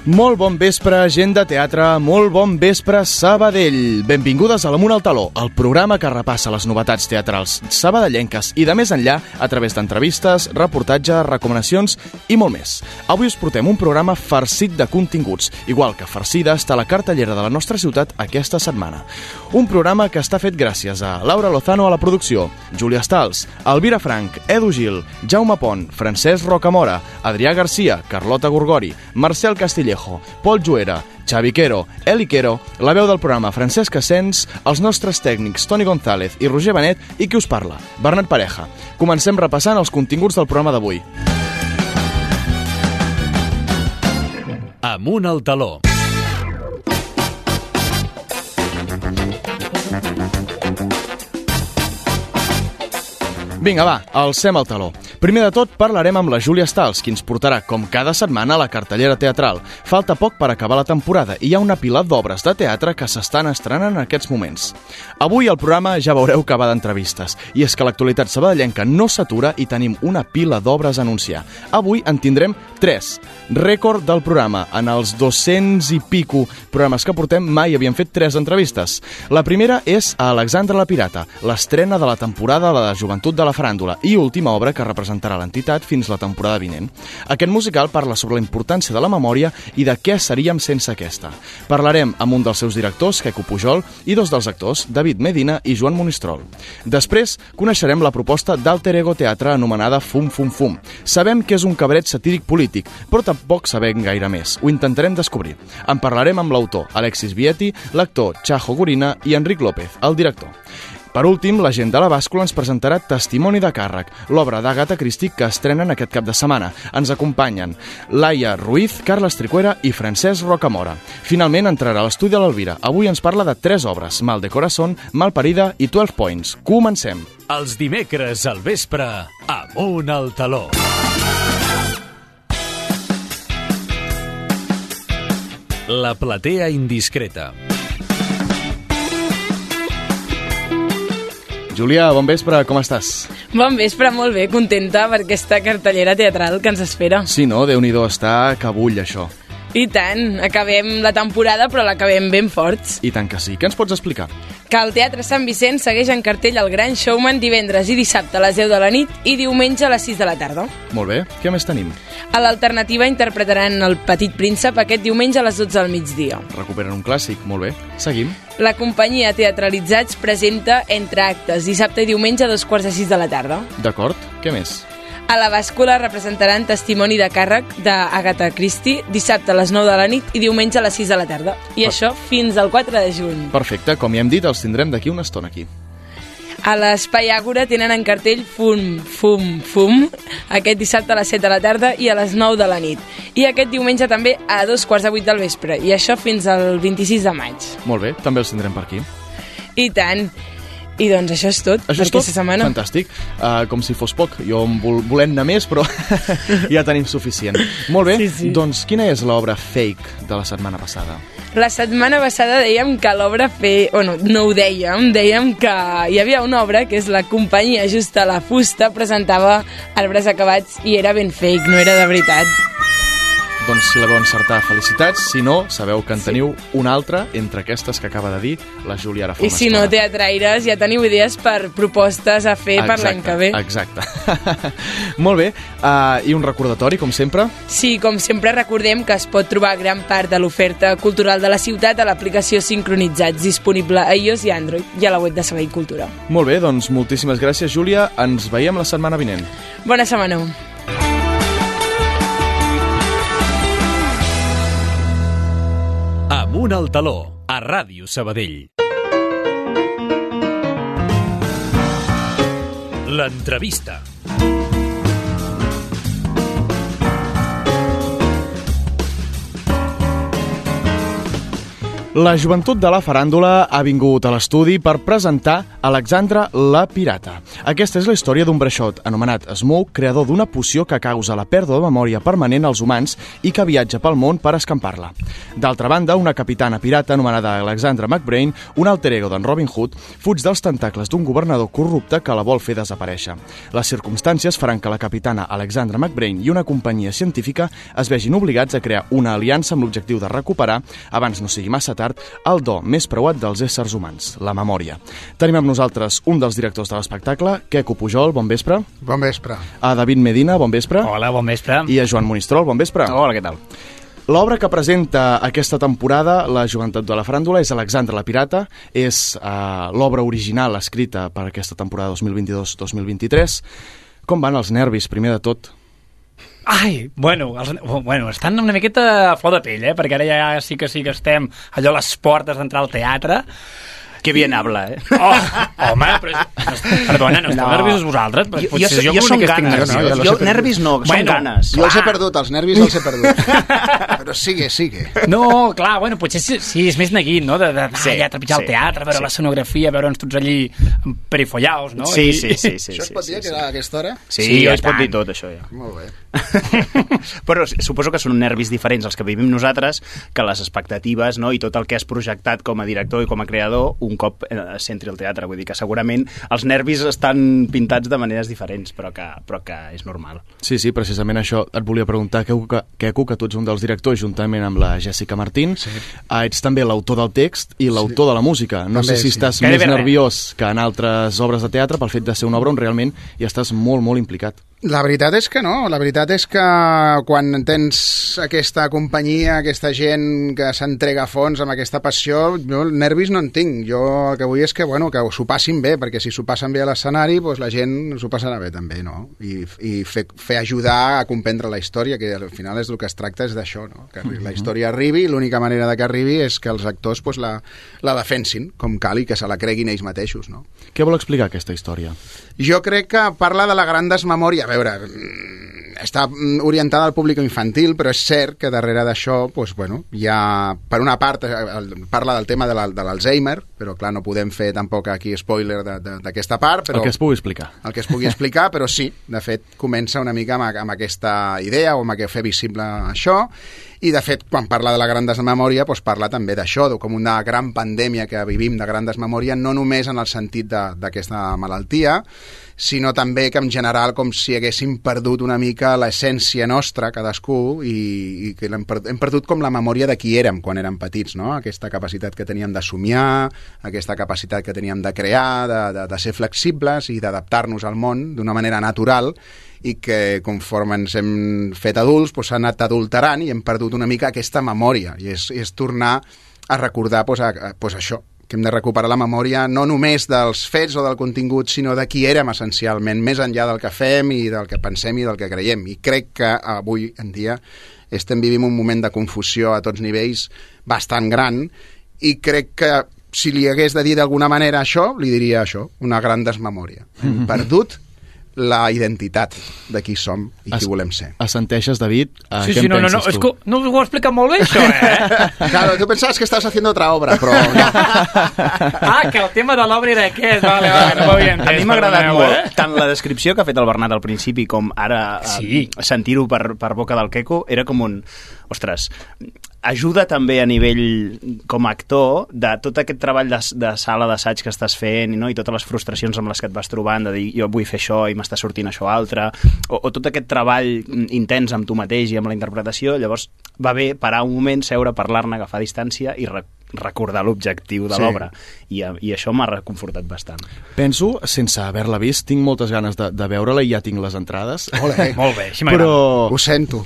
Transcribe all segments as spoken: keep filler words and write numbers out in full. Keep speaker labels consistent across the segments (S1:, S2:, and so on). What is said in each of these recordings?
S1: Molt bon vespre, gent de teatre, molt bon vespre, Sabadell. Benvingudes a l'Amunt al Taló, el programa que repassa les novetats teatrals sabadellenques i de més enllà a través d'entrevistes, reportatges, recomanacions i molt més. Avui us portem un programa farcit de continguts, igual que farcida està la cartellera de la nostra ciutat aquesta setmana. Un programa que està fet gràcies a Laura Lozano a la producció, Júlia Stals, Elvira Frank, Edu Gil, Jaume Pont, Francesc Rocamora, Adrià Garcia, Carlota Gorgori, Marcel Castillejo, Pol Juera, Xavi Quero, Eli Quero, la veu del programa Francesc Asens, els nostres tècnics Toni González i Roger Benet i qui us parla, Bernat Pareja. Comencem repassant els continguts del programa d'avui.
S2: Amunt al Taló.
S1: Vinga, va, alcem el taló. Primer de tot parlarem amb la Júlia Stals, qui ens portarà, com cada setmana, a la cartellera teatral. Falta poc per acabar la temporada i hi ha una pila d'obres de teatre que s'estan estrenant en aquests moments. Avui al programa ja veureu que va d'entrevistes, i és que l'actualitat sabadellenca no s'atura i tenim una pila d'obres a anunciar. Avui en tindrem tres. Rècord del programa. En els dos-cents i pico programes que portem mai havien fet tres entrevistes. La primera és a Alexandra la Pirata, l'estrena de la temporada de la joventut de la faràndula i última obra que representarà l'entitat fins la temporada vinent. Aquest musical parla sobre la importància de la memòria i de què seríem sense aquesta. Parlarem amb un dels seus directors, Queco Pujol, i dos dels actors, David Medina i Joan Monistrol. Després, coneixerem la proposta d'Alter Ego Teatre anomenada Fum Fum Fum. Sabem que és un cabaret satíric polític, però tampoc sabem gaire més. Ho intentarem descobrir. En parlarem amb l'autor, Alexis Vietti, l'actor Chajo Gorina i Enric López, el director. Per últim, la gent de la bàscula ens presentarà Testimoni de càrrec, l'obra d'Agatha Christie que estrenen aquest cap de setmana. Ens acompanyen Laia Ruiz, Carles Tricuera i Francesc Rocamora. Finalment entrarà a l'estudi de l'Elvira. Avui ens parla de tres obres, Mal de Corazón, Malparida i dotze Points. Comencem!
S2: Els dimecres al vespre, Amunt al Taló. La platea indiscreta.
S1: Júlia, bon vespre, com estàs?
S3: Bon vespre, molt bé, contenta per aquesta cartellera teatral que ens espera.
S1: Sí, no? Déu-n'hi-do, està que bull, això.
S3: I tant, acabem la temporada, però l'acabem ben forts.
S1: I tant que sí. Què ens pots explicar?
S3: Que el Teatre Sant Vicent segueix en cartell El Gran Showman divendres i dissabte a les deu de la nit i diumenge a les sis de la tarda.
S1: Molt bé. Què més tenim?
S3: A l'Alternativa interpretaran El Petit Príncep aquest diumenge a les dotze del migdia.
S1: Recuperen un clàssic, molt bé. Seguim.
S3: La companyia Teatralitzats presenta Entre Actes, dissabte i diumenge a dos quarts de sis de la tarda.
S1: D'acord. Què més?
S3: A la bàscula representaran Testimoni de càrrec d'Agatha Christie, dissabte a les nou de la nit i diumenge a les sis de la tarda. I per... això fins al quatre de juny.
S1: Perfecte, com ja hem dit, els tindrem d'aquí una estona aquí.
S3: A l'Espai Àgora tenen en cartell Fum, Fum, Fum, aquest dissabte a les set de la tarda i a les nou de la nit. I aquest diumenge també a dos quarts de vuit del vespre, i això fins al vint-i-sis de maig.
S1: Molt bé, també els tindrem per aquí.
S3: I tant. I doncs això és tot
S1: això
S3: per
S1: és
S3: aquesta
S1: tot?
S3: setmana.
S1: Fantàstic. Uh, com si fos poc. Jo em vol, volem anar més, però ja tenim suficient. Molt bé,
S3: sí, sí.
S1: Doncs quina és l'obra fake de la setmana passada?
S3: La setmana passada dèiem que l'obra fe... Bueno, no ho dèiem, dèiem que hi havia una obra que és la companyia Justa la Fusta, presentava Arbres Acabats i era ben fake, no era de veritat.
S1: Doncs si la veu encertar, felicitats. Si no, sabeu que en teniu sí. una altra entre aquestes que acaba de dir la Júlia ara fa
S3: I si no, teatraires, ja teniu idees per propostes a fer
S1: exacte,
S3: per l'any que ve.
S1: Exacte. Molt bé. Uh, I un recordatori, com sempre?
S3: Sí, com sempre recordem que es pot trobar gran part de l'oferta cultural de la ciutat a l'aplicació Sincronitzats, disponible a iOS i Android i a la web de Sabadell Cultura.
S1: Molt bé, doncs moltíssimes gràcies, Júlia. Ens veiem la setmana vinent.
S3: Bona setmana.
S2: Amunt al Taló, a Ràdio Sabadell. L'entrevista.
S1: La joventut de la faràndula ha vingut a l'estudi per presentar Alexandre la Pirata. Aquesta és la història d'un breixot anomenat Smoke, creador d'una poció que causa la pèrdua de memòria permanent als humans i que viatja pel món per escampar-la. D'altra banda, una capitana pirata anomenada Alexandra McBrain, un alter ego d'en Robin Hood, fuig dels tentacles d'un governador corrupte que la vol fer desaparèixer. Les circumstàncies faran que la capitana Alexandra McBrain i una companyia científica es vegin obligats a crear una aliança amb l'objectiu de recuperar, abans no sigui massa tard, el do més preuat dels éssers humans, la memòria. Tenim amb nosaltres un dels directors de l'espectacle, Queco Pujol, bon vespre.
S4: Bon vespre.
S1: A David Medina, bon vespre.
S5: Hola, bon vespre.
S1: I a Joan Monistrol, bon vespre.
S5: Hola, què tal?
S1: L'obra que presenta aquesta temporada, La joventut de la faràndula, és Alexandre la Pirata. És uh, l'obra original escrita per aquesta temporada dos mil vint-i-dos dos mil vint-i-tres. Com van els nervis, primer de tot?
S5: Ai, bueno, els, bueno, estan una miqueta a flor de pell, eh? Perquè ara ja sí que sí que estem allò a les portes d'entrar al teatre.
S6: Que bien habla, eh?
S5: Oh, home, però... Perdona, no esteu no. nerviosos vosaltres?
S6: Jo, jo, jo, jo som ganes. Jo, no, jo, jo nervis no, bueno, som ganes.
S4: Jo els he perdut, els nervis els he perdut. Però sigue, sigue.
S5: No, clar, bueno, potser sí, sí és més neguit, no? De, de, de
S6: sí,
S5: allà trepitjar sí, el teatre, veure sí. l'escenografia, veure'ns tots allí perifollaus, no?
S6: Sí,
S5: I...
S6: sí, sí, sí.
S4: Això es pot
S6: sí,
S4: dir
S6: sí,
S4: que era a aquesta hora?
S6: Sí,
S5: sí
S6: ja es pot dir tot, això, ja.
S4: Molt bé.
S6: Però suposo que són nervis diferents els que vivim nosaltres que les expectatives, no? I tot el que has projectat com a director i com a creador un cop s'entri al teatre. Vull dir que segurament els nervis estan pintats de maneres diferents, però que, però que és normal.
S1: Sí, sí, precisament això et volia preguntar, Queco, que, que tu ets un dels directors juntament amb la Jessica Martín. Sí. Ah, ets també l'autor del text i l'autor sí. de la música. No també, sé si sí. estàs que més nerviós que en altres obres de teatre pel fet de ser una obra on realment hi estàs molt, molt implicat.
S4: La veritat és que no, la veritat és que quan tens aquesta companyia, aquesta gent que s'entrega a fons amb aquesta passió, jo nervis no en tinc. Jo el que vull és que, bueno, que s'ho passin bé, perquè si s'ho passen bé a l'escenari, doncs la gent s'ho passarà bé també, no? I, i fer, fer ajudar a comprendre la història, que al final és el que es tracta és d'això, no? Que la història arribi, i l'única manera de que arribi és que els actors doncs, la, la defensin com cal i que se la creguin ells mateixos, no?
S1: Què vol explicar aquesta història?
S4: Jo crec que parla de la gran desmemòria. A veure, està orientada al públic infantil, però és cert que darrere d'això, doncs, bueno, hi ha, per una part, parla del tema de l'Alzheimer, però clar, no podem fer tampoc aquí spoiler d'aquesta part. Però,
S1: el que es pugui explicar.
S4: El que es pugui explicar, però sí, de fet, comença una mica amb, amb aquesta idea, o amb fer visible això, i de fet, quan parla de la gran desmemòria, doncs parla també d'això, com una gran pandèmia que vivim de gran desmemòria, no només en el sentit d'aquesta malaltia, sinó també que en general com si haguéssim perdut una mica l'essència nostra, cadascú, i, i que hem perdut, hem perdut com la memòria de qui érem quan érem petits, no? Aquesta capacitat que teníem de somiar, aquesta capacitat que teníem de crear, de, de, de ser flexibles i d'adaptar-nos al món d'una manera natural, i que conforme ens hem fet adults doncs s'ha anat adulterant i hem perdut una mica aquesta memòria, i és, és tornar a recordar doncs, a, doncs això, que hem de recuperar la memòria no només dels fets o del contingut, sinó de qui érem essencialment, més enllà del que fem i del que pensem i del que creiem. I crec que avui en dia estem vivint un moment de confusió a tots nivells bastant gran, i crec que si li hagués de dir d'alguna manera això, li diria això, una gran desmemòria. Hem perdut la identitat de qui som i qui volem ser.
S1: Assenteixes, David?
S5: Sí, sí, no, no, no, és que no ho explicat molt bé, això, eh?
S4: Claro, tu pensaves que estàs haciendo otra obra, però no.
S5: Ah, que el tema de l'obra era aquest, vale, vale, no ho havia entès.
S6: A mi m'ha agradat molt, eh? Tant la descripció que ha fet el Bernat al principi com ara sí. eh, sentir-ho per, per boca del Queco, era com un... Ostres, ajuda també a nivell com a actor de tot aquest treball de, de sala d'assaig que estàs fent, no? I totes les frustracions amb les que et vas trobant, de dir jo vull fer això i m'està sortint això altre, o, o tot aquest treball intens amb tu mateix i amb la interpretació. Llavors va bé parar un moment, seure, parlar-ne, agafar distància i rec recordar l'objectiu de sí. l'obra, I, i això m'ha reconfortat bastant.
S1: Penso, sense haver-la vist, tinc moltes ganes de, de veure-la i ja tinc les entrades.
S4: Olé.
S5: Molt bé, així m'agrada.
S1: Però...
S4: Ho sento.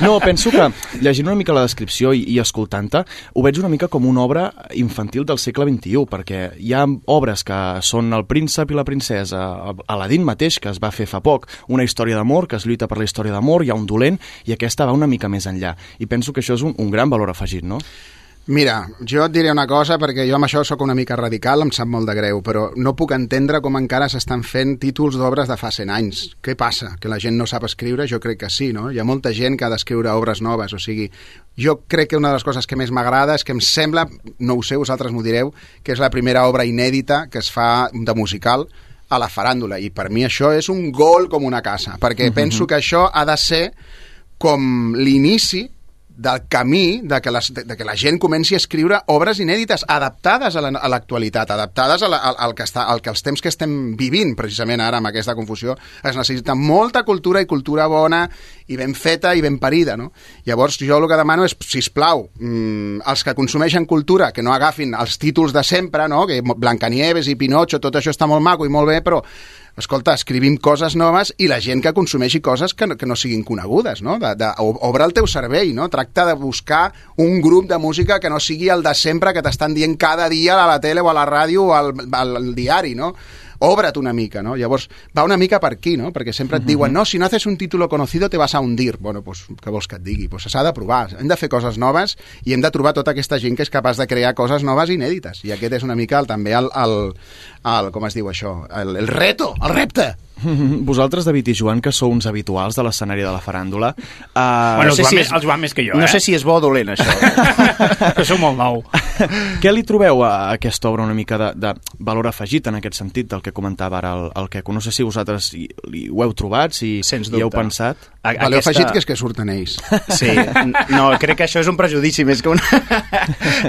S1: No, penso que llegint una mica la descripció i, i escoltant-te, ho veig una mica com una obra infantil del segle vint-i-u, perquè hi ha obres que són El príncep i la princesa, Aladín mateix, que es va fer fa poc, una història d'amor, que es lluita per la història d'amor, hi ha un dolent, i aquesta va una mica més enllà. I penso que això és un, un gran valor afegit, no?
S4: Mira, jo et diré una cosa, perquè jo amb això sóc una mica radical, em sap molt de greu, però no puc entendre com encara s'estan fent títols d'obres de fa cent anys. Què passa? Que la gent no sap escriure? Jo crec que sí, no? Hi ha molta gent que ha d'escriure obres noves, o sigui, jo crec que una de les coses que més m'agrada és que em sembla, no ho sé, vosaltres m'ho direu, que és la primera obra inèdita que es fa de musical a la faràndula, i per mi això és un gol com una casa, perquè uh-huh. penso que això ha de ser com l'inici del camí de que, les, de, de que la gent comenci a escriure obres inèdites, adaptades a l'actualitat, la, adaptades a la, al, al que està, al que els temps que estem vivint, precisament ara amb aquesta confusió. Es necessita molta cultura i cultura bona i ben feta i ben parida, no? Llavors jo el que demano és, sisplau, mmm, els que consumeixen cultura, que no agafin els títols de sempre, no? Que Blancanieves i Pinocho, tot això està molt maco i molt bé, però escolta, escrivim coses noves i la gent que consumeixi coses que no, que no siguin conegudes, no? De, de, obre el teu cervell, no? Tracta de buscar un grup de música que no sigui el de sempre que t'estan dient cada dia a la tele o a la ràdio o al, al, al diari, no? Obre't una mica, no? Llavors, va una mica per aquí, no? Perquè sempre et diuen, no, si no haces un título conocido te vas a hundir. Bueno, pues, què vols que et digui? Pues s'ha de provar, hem de fer coses noves i hem de trobar tota aquesta gent que és capaç de crear coses noves i inèdites. I aquest és una mica el, també el, el, el, com es diu això? El, el reto, el repte.
S1: Vosaltres, David i Joan, que sou uns habituals de l'escenari de la faràndula... Uh,
S5: bueno,
S1: no
S5: sé
S1: si
S5: si
S1: és...
S5: és... el Joan més que jo,
S6: no
S5: eh?
S6: sé si és bo o dolent, això.
S5: Que sou molt nou.
S1: Què li trobeu a aquesta obra una mica de, de valor afegit en aquest sentit del que comentava ara el, el Queco? No sé si vosaltres hi, hi, ho heu trobat, si hi heu pensat.
S4: A, valor aquesta... afegit que és que surten ells.
S6: Sí, no, crec que això és un prejudici més que un...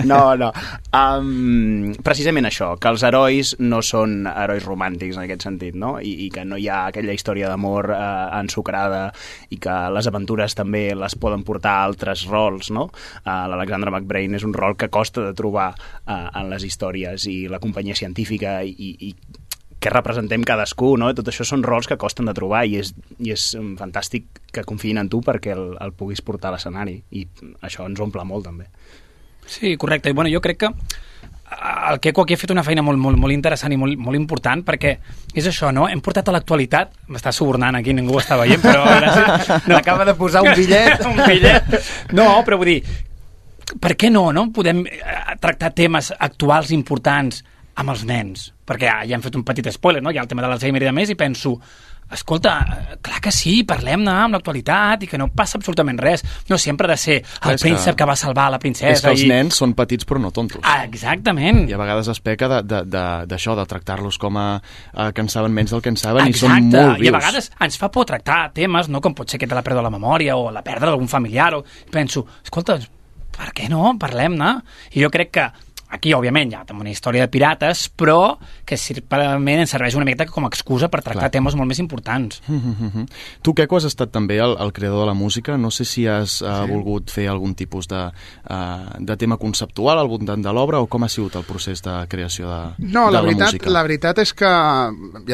S6: No, no. Um, precisament això, que els herois no són herois romàntics en aquest sentit, no? I, i que no hi ha aquella història d'amor eh, ensucrada i que les aventures també les poden portar a altres rols, no? Uh, L'Alexandra McBrain és un rol que costa de trobar uh, en les històries, i la companyia científica i, i que representem cadascú, no? Tot això són rols que costen de trobar i és, i és fantàstic que confiïn en tu perquè el, el puguis portar a l'escenari, i això ens omple molt també.
S5: Sí, correcte. I bueno, jo crec que el Queco aquí ha fet una feina molt, molt, molt interessant i molt, molt important, perquè és això, no? Hem portat a l'actualitat, m'està subornant aquí, ningú ho està veient, però gràcies, no.
S6: Acaba de posar un bitllet.
S5: un bitllet. No, però vull dir, per què no, no? Podem tractar temes actuals importants amb els nens, perquè ja, ja hem fet un petit spoiler, no? Hi ha el tema de l'Alzheimer i de més, i penso, escolta, clar que sí, parlem-ne amb l'actualitat i que no passa absolutament res. No sempre ha de ser el és príncep que... que va salvar la princesa.
S1: És que els
S5: i...
S1: nens són petits però no tontos.
S5: Ah, exactament.
S1: I a vegades es peca d'això, de, de, de, de tractar-los com a, a que en saben menys del que en saben.
S5: Exacte.
S1: I són molt vius.
S5: I a vegades ens fa por tractar temes, no? Com pot ser que te la pèrdua de la memòria o la pèrdua d'algun familiar. O... Penso, escolta, per què no? Parlem-ne. I jo crec que aquí, òbviament, hi ha també una història de pirates, però que simplement ens serveix una miqueta com a excusa per tractar Clar. temes molt més importants.
S1: Mm-hmm. Tu, Queco, has estat també el, el creador de la música. No sé si has uh, sí. volgut fer algun tipus de, uh, de tema conceptual al voltant de l'obra, o com ha sigut el procés de creació de,
S4: no,
S1: de
S4: la,
S1: la
S4: veritat,
S1: música?
S4: La veritat és que,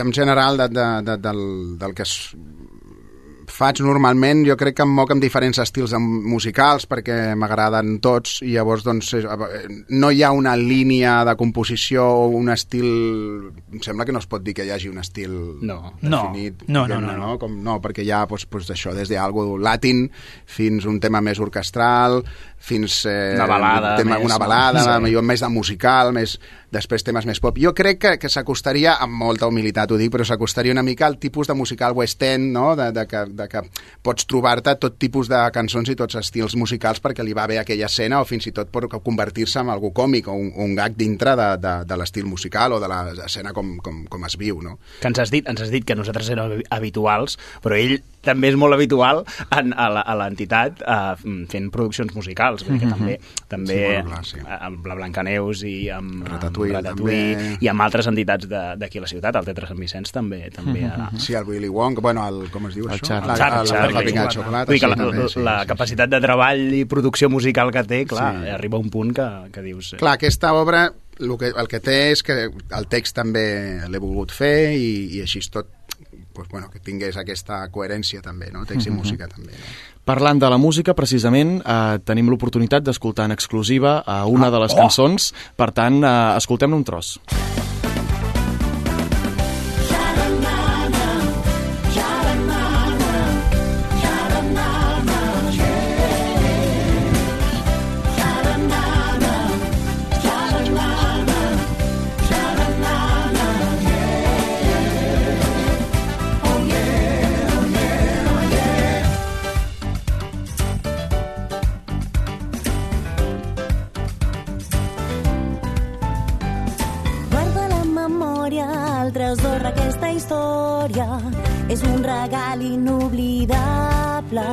S4: en general, de, de, de, del, del que es faig normalment, jo crec que em moc amb diferents estils musicals perquè m'agraden tots, i llavors doncs no hi ha una línia de composició o un estil, em sembla que no es pot dir que hi hagi un estil
S5: no.
S4: definit.
S5: No, no, no, no,
S4: no. Com, no perquè hi ha doncs, doncs, això, des d'algo latin fins un tema més orquestral, fins eh,
S6: una balada,
S4: un tema,
S6: més,
S4: una balada
S6: sí.
S4: millor més de musical, més, després temes més pop. Jo crec que, que s'acostaria, amb molta humilitat ho dic, però s'acostaria una mica al tipus de musical West End, no? de, de, que, de que pots trobar-te tot tipus de cançons i tots estils musicals perquè li va bé aquella escena, o fins i tot pot convertir-se en algú còmic o un, un gag dintre de, de, de l'estil musical o de l'escena com, com, com es viu, no?
S6: Que ens has dit, ens has dit que nosaltres érem habituals, però ell també és molt habitual en, a l'entitat uh, fent produccions musicals, perquè també, també
S4: sí, clar, sí.
S6: amb la Blancaneus i amb
S4: Ratatouille,
S6: amb Ratatouille i amb altres entitats d'aquí a la ciutat, el Teatre Sant Vicenç també. també uh,
S4: sí, el Willy Wonka, bueno, el, com es diu
S1: el
S4: això?
S1: Charlie.
S4: La,
S6: Charlie,
S4: el,
S6: Charlie,
S4: la pinya de xocolata.
S6: Vull dir que la,
S4: sí, també, sí,
S6: la
S4: sí,
S6: capacitat
S4: sí.
S6: de treball i producció musical que té, clar,
S4: sí.
S6: arriba a un punt que, que dius... Eh.
S4: Clar, aquesta obra el que, el que té és que el text també l'he volgut fer i, i així tot pues, bueno, que tingués aquesta coherència també, no? Text i mm-hmm. música també, no?
S1: Parlant de la música, precisament, eh, tenim l'oportunitat d'escoltar en exclusiva a una ah, de les oh! cançons, per tant, eh, escoltem-ne un tros.
S7: història, és un regal inoblidable.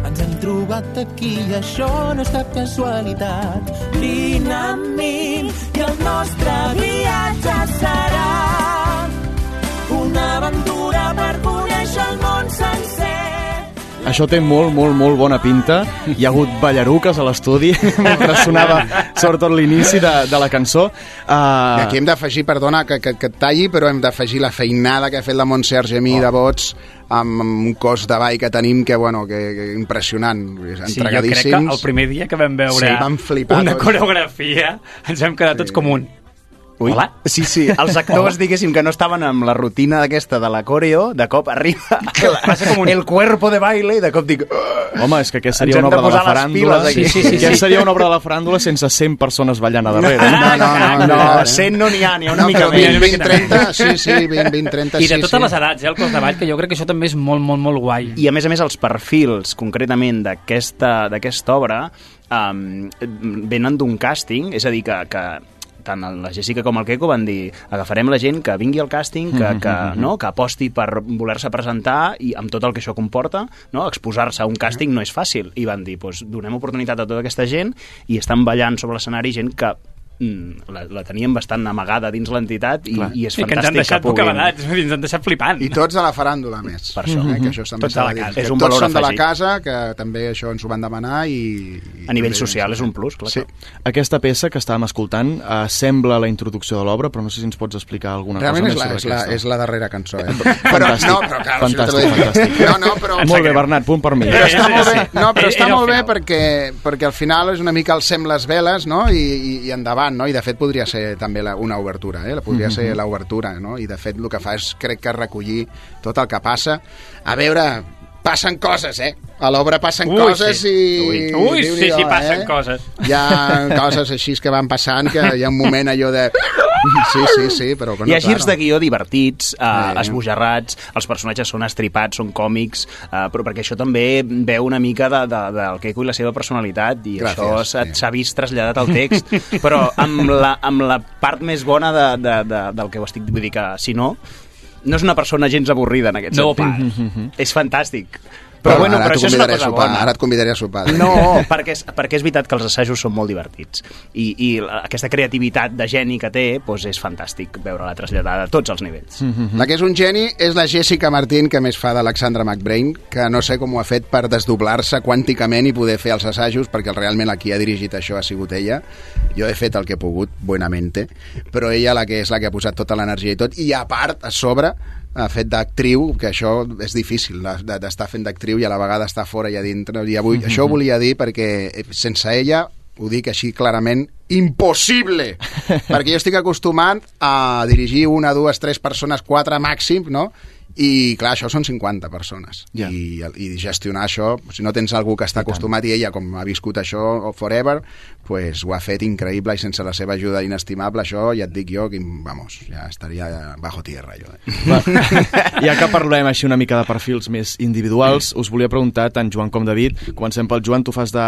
S8: Ens hem trobat aquí i això no és cap casualitat. Vine amb mi i el nostre viatge serà una aventura per conèixer el món sencer.
S1: Això té molt, molt, molt bona pinta. Hi ha hagut ballaruques a l'estudi mentre sonava sobretot l'inici de, de la cançó. Uh...
S4: I aquí hem d'afegir, perdona que, que, que et talli, però hem d'afegir la feinada que ha fet la Montse Argemí oh. de vots amb un cos de ball que tenim que, bueno, que, que impressionant,
S5: sí, jo crec que el primer dia que vam veure
S4: sí, vam flipar,
S5: una
S4: tots.
S5: coreografia ens vam quedar sí. tots com un...
S6: Ui. Hola? Sí, sí, els actors, diguéssim, que no estaven amb la rutina d'aquesta de la coreo, de cop arriba com un... el cuerpo de baile i de cop dic...
S1: Home, és que aquesta seria una obra de la faràndula.
S5: Sí, sí, sí, sí.
S1: Aquesta seria una obra de la faràndula sense cent persones ballant a darrere.
S4: No, no, no, no,
S6: no, no cent no n'hi ha, n'hi ha una
S4: no,
S6: mica
S4: més. vint, trenta, sí, sí, vint, vint, trenta,
S5: I de
S4: sí,
S5: totes
S4: sí.
S5: les edats, eh, el cos de ball, que jo crec que això també és molt, molt, molt guai.
S6: I a més a més els perfils, concretament, d'aquesta d'aquesta obra, um, venen d'un càsting, és a dir, que... que tant la Jessica com el Queco van dir agafarem la gent que vingui al càsting, que, que, no, que aposti per voler-se presentar i amb tot el que això comporta, no, exposar-se a un càsting no és fàcil, i van dir doncs, donem oportunitat a tota aquesta gent i estan ballant sobre l'escenari gent que La, la teníem bastant amagada dins l'entitat i, i és
S5: I
S6: fantàstic
S5: que ens han deixat
S6: que puguin...
S5: bocabadats, ens han deixat flipant.
S4: I tots de la faràndula, més.
S6: Per això.
S4: Eh, que això també
S5: tots de la casa.
S4: Que
S6: és un
S4: tots
S6: valor
S4: són de la
S6: afegit.
S4: casa, que també això ens ho van demanar i... i
S6: a nivell
S4: també,
S6: social és un plus, clar.
S4: Sí.
S1: Aquesta peça que estàvem escoltant eh, sembla la introducció de l'obra, però no sé si ens pots explicar alguna
S4: Realment
S1: cosa
S4: és la,
S1: més sobre
S4: és, la,
S1: aquesta.
S4: és la darrera cançó, eh?
S1: Fantàstic,
S4: no, però clar,
S1: fantàstic, fantàstic.
S4: No, no, però...
S1: Molt bé, Bernat, punt per mi.
S4: Però està molt bé, no, però
S5: Era
S4: està
S5: el
S4: molt bé
S5: final.
S4: perquè, perquè al final és una mica el sem les veles, no? I, i, i endavant, no? I de fet podria ser també la, una obertura, eh? Podria ser l'obertura, no? I de fet el que fa és, crec que recollir tot el que passa. A veure, passen coses, eh? A l'obra passen
S5: Ui,
S4: coses
S5: sí.
S4: i...
S5: Ui, Ui sí, sí, passen
S4: eh?
S5: coses.
S4: Hi ha coses així que van passant que hi ha un moment allò de... Sí, sí, sí, però... Bueno,
S6: Hi ha girs
S4: clar,
S6: de guió divertits, eh,
S4: Sí.
S6: esbojarrats, els personatges són estripats, són còmics, eh, però perquè això també veu una mica de, de, del Queco i la seva personalitat, i
S4: Gràcies,
S6: això s'ha
S4: sí.
S6: s'ha vist traslladat al text, però amb la, amb la part més bona de, de, de, del que ho estic... Vull dir que, si no, no és una persona gens avorrida en aquest
S5: No,
S6: sentit. És fantàstic.
S4: Però,
S6: Però, bueno,
S4: ara,
S6: però això és una cosa
S4: sopar,
S6: bona.
S4: ara et convidaré a sopar.
S6: No, perquè és, perquè és veritat que els assajos són molt divertits i, i la, aquesta creativitat de geni que té doncs és fantàstic veure-la traslladada a tots els nivells.
S4: La que és un geni és la Jessica Martín, que més fa d'Alexandra McBrain, que no sé com ho ha fet per desdoblar-se quànticament i poder fer els assajos, perquè realment la qui ha dirigit això ha sigut ella. Jo he fet el que he pogut, buenamente, però ella la que és la que ha posat tota l'energia i tot, i a part, a sobre, ha fet d'actriu, que això és difícil d'estar fent d'actriu i a la vegada estar fora i a dintre, i avui, mm-hmm. això ho volia dir perquè sense ella, ho dic així clarament, impossible, perquè jo estic acostumat a dirigir una, dues, tres persones, quatre màxim, no? I clar, això són cinquanta persones,
S1: yeah.
S4: I, i gestionar això, si no tens algú que està acostumat i ella com ha viscut això forever, pues ho ha fet increïble i sense la seva ajuda inestimable, això ja et dic jo que vamos, ja estaria bajo tierra jo. Eh?
S1: Va, ja que parlem així una mica de perfils més individuals, us volia preguntar tant Joan com David, comencem pel Joan, tu fas de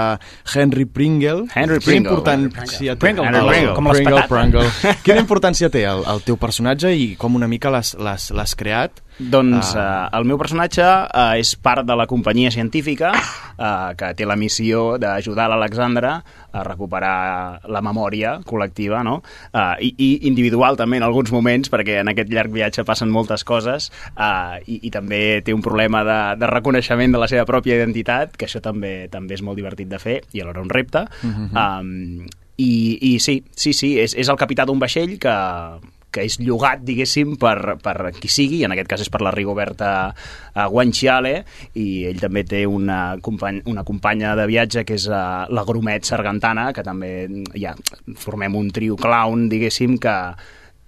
S1: Henry Pringle.
S6: Henry
S1: Quina
S6: Pringle.
S1: importància té
S5: Pringle,
S1: el,
S6: Pringle,
S5: com les
S1: Pringle,
S5: patates.
S1: Pringle. Quina importància té el, el teu personatge i com una mica l'has l'has- l'has creat?
S6: Doncs
S1: Ah.
S6: uh, el meu personatge uh, és part de la companyia científica uh, que té la missió d'ajudar l'Alexandra a recuperar la memòria col·lectiva, no? Uh, i, i individual també en alguns moments, perquè en aquest llarg viatge passen moltes coses uh, i, i també té un problema de, de reconeixement de la seva pròpia identitat, que això també també és molt divertit de fer i alhora un repte. Mm-hmm. um, i, I sí, sí, sí, és, és el capità d'un vaixell que que és llogat, diguéssim, per, per qui sigui, i en aquest cas és per la Rigoberta uh, Guanciale, i ell també té una, company, una companya de viatge que és uh, la Grumet Sargantana, que també ja formem un trio clown, diguéssim, que,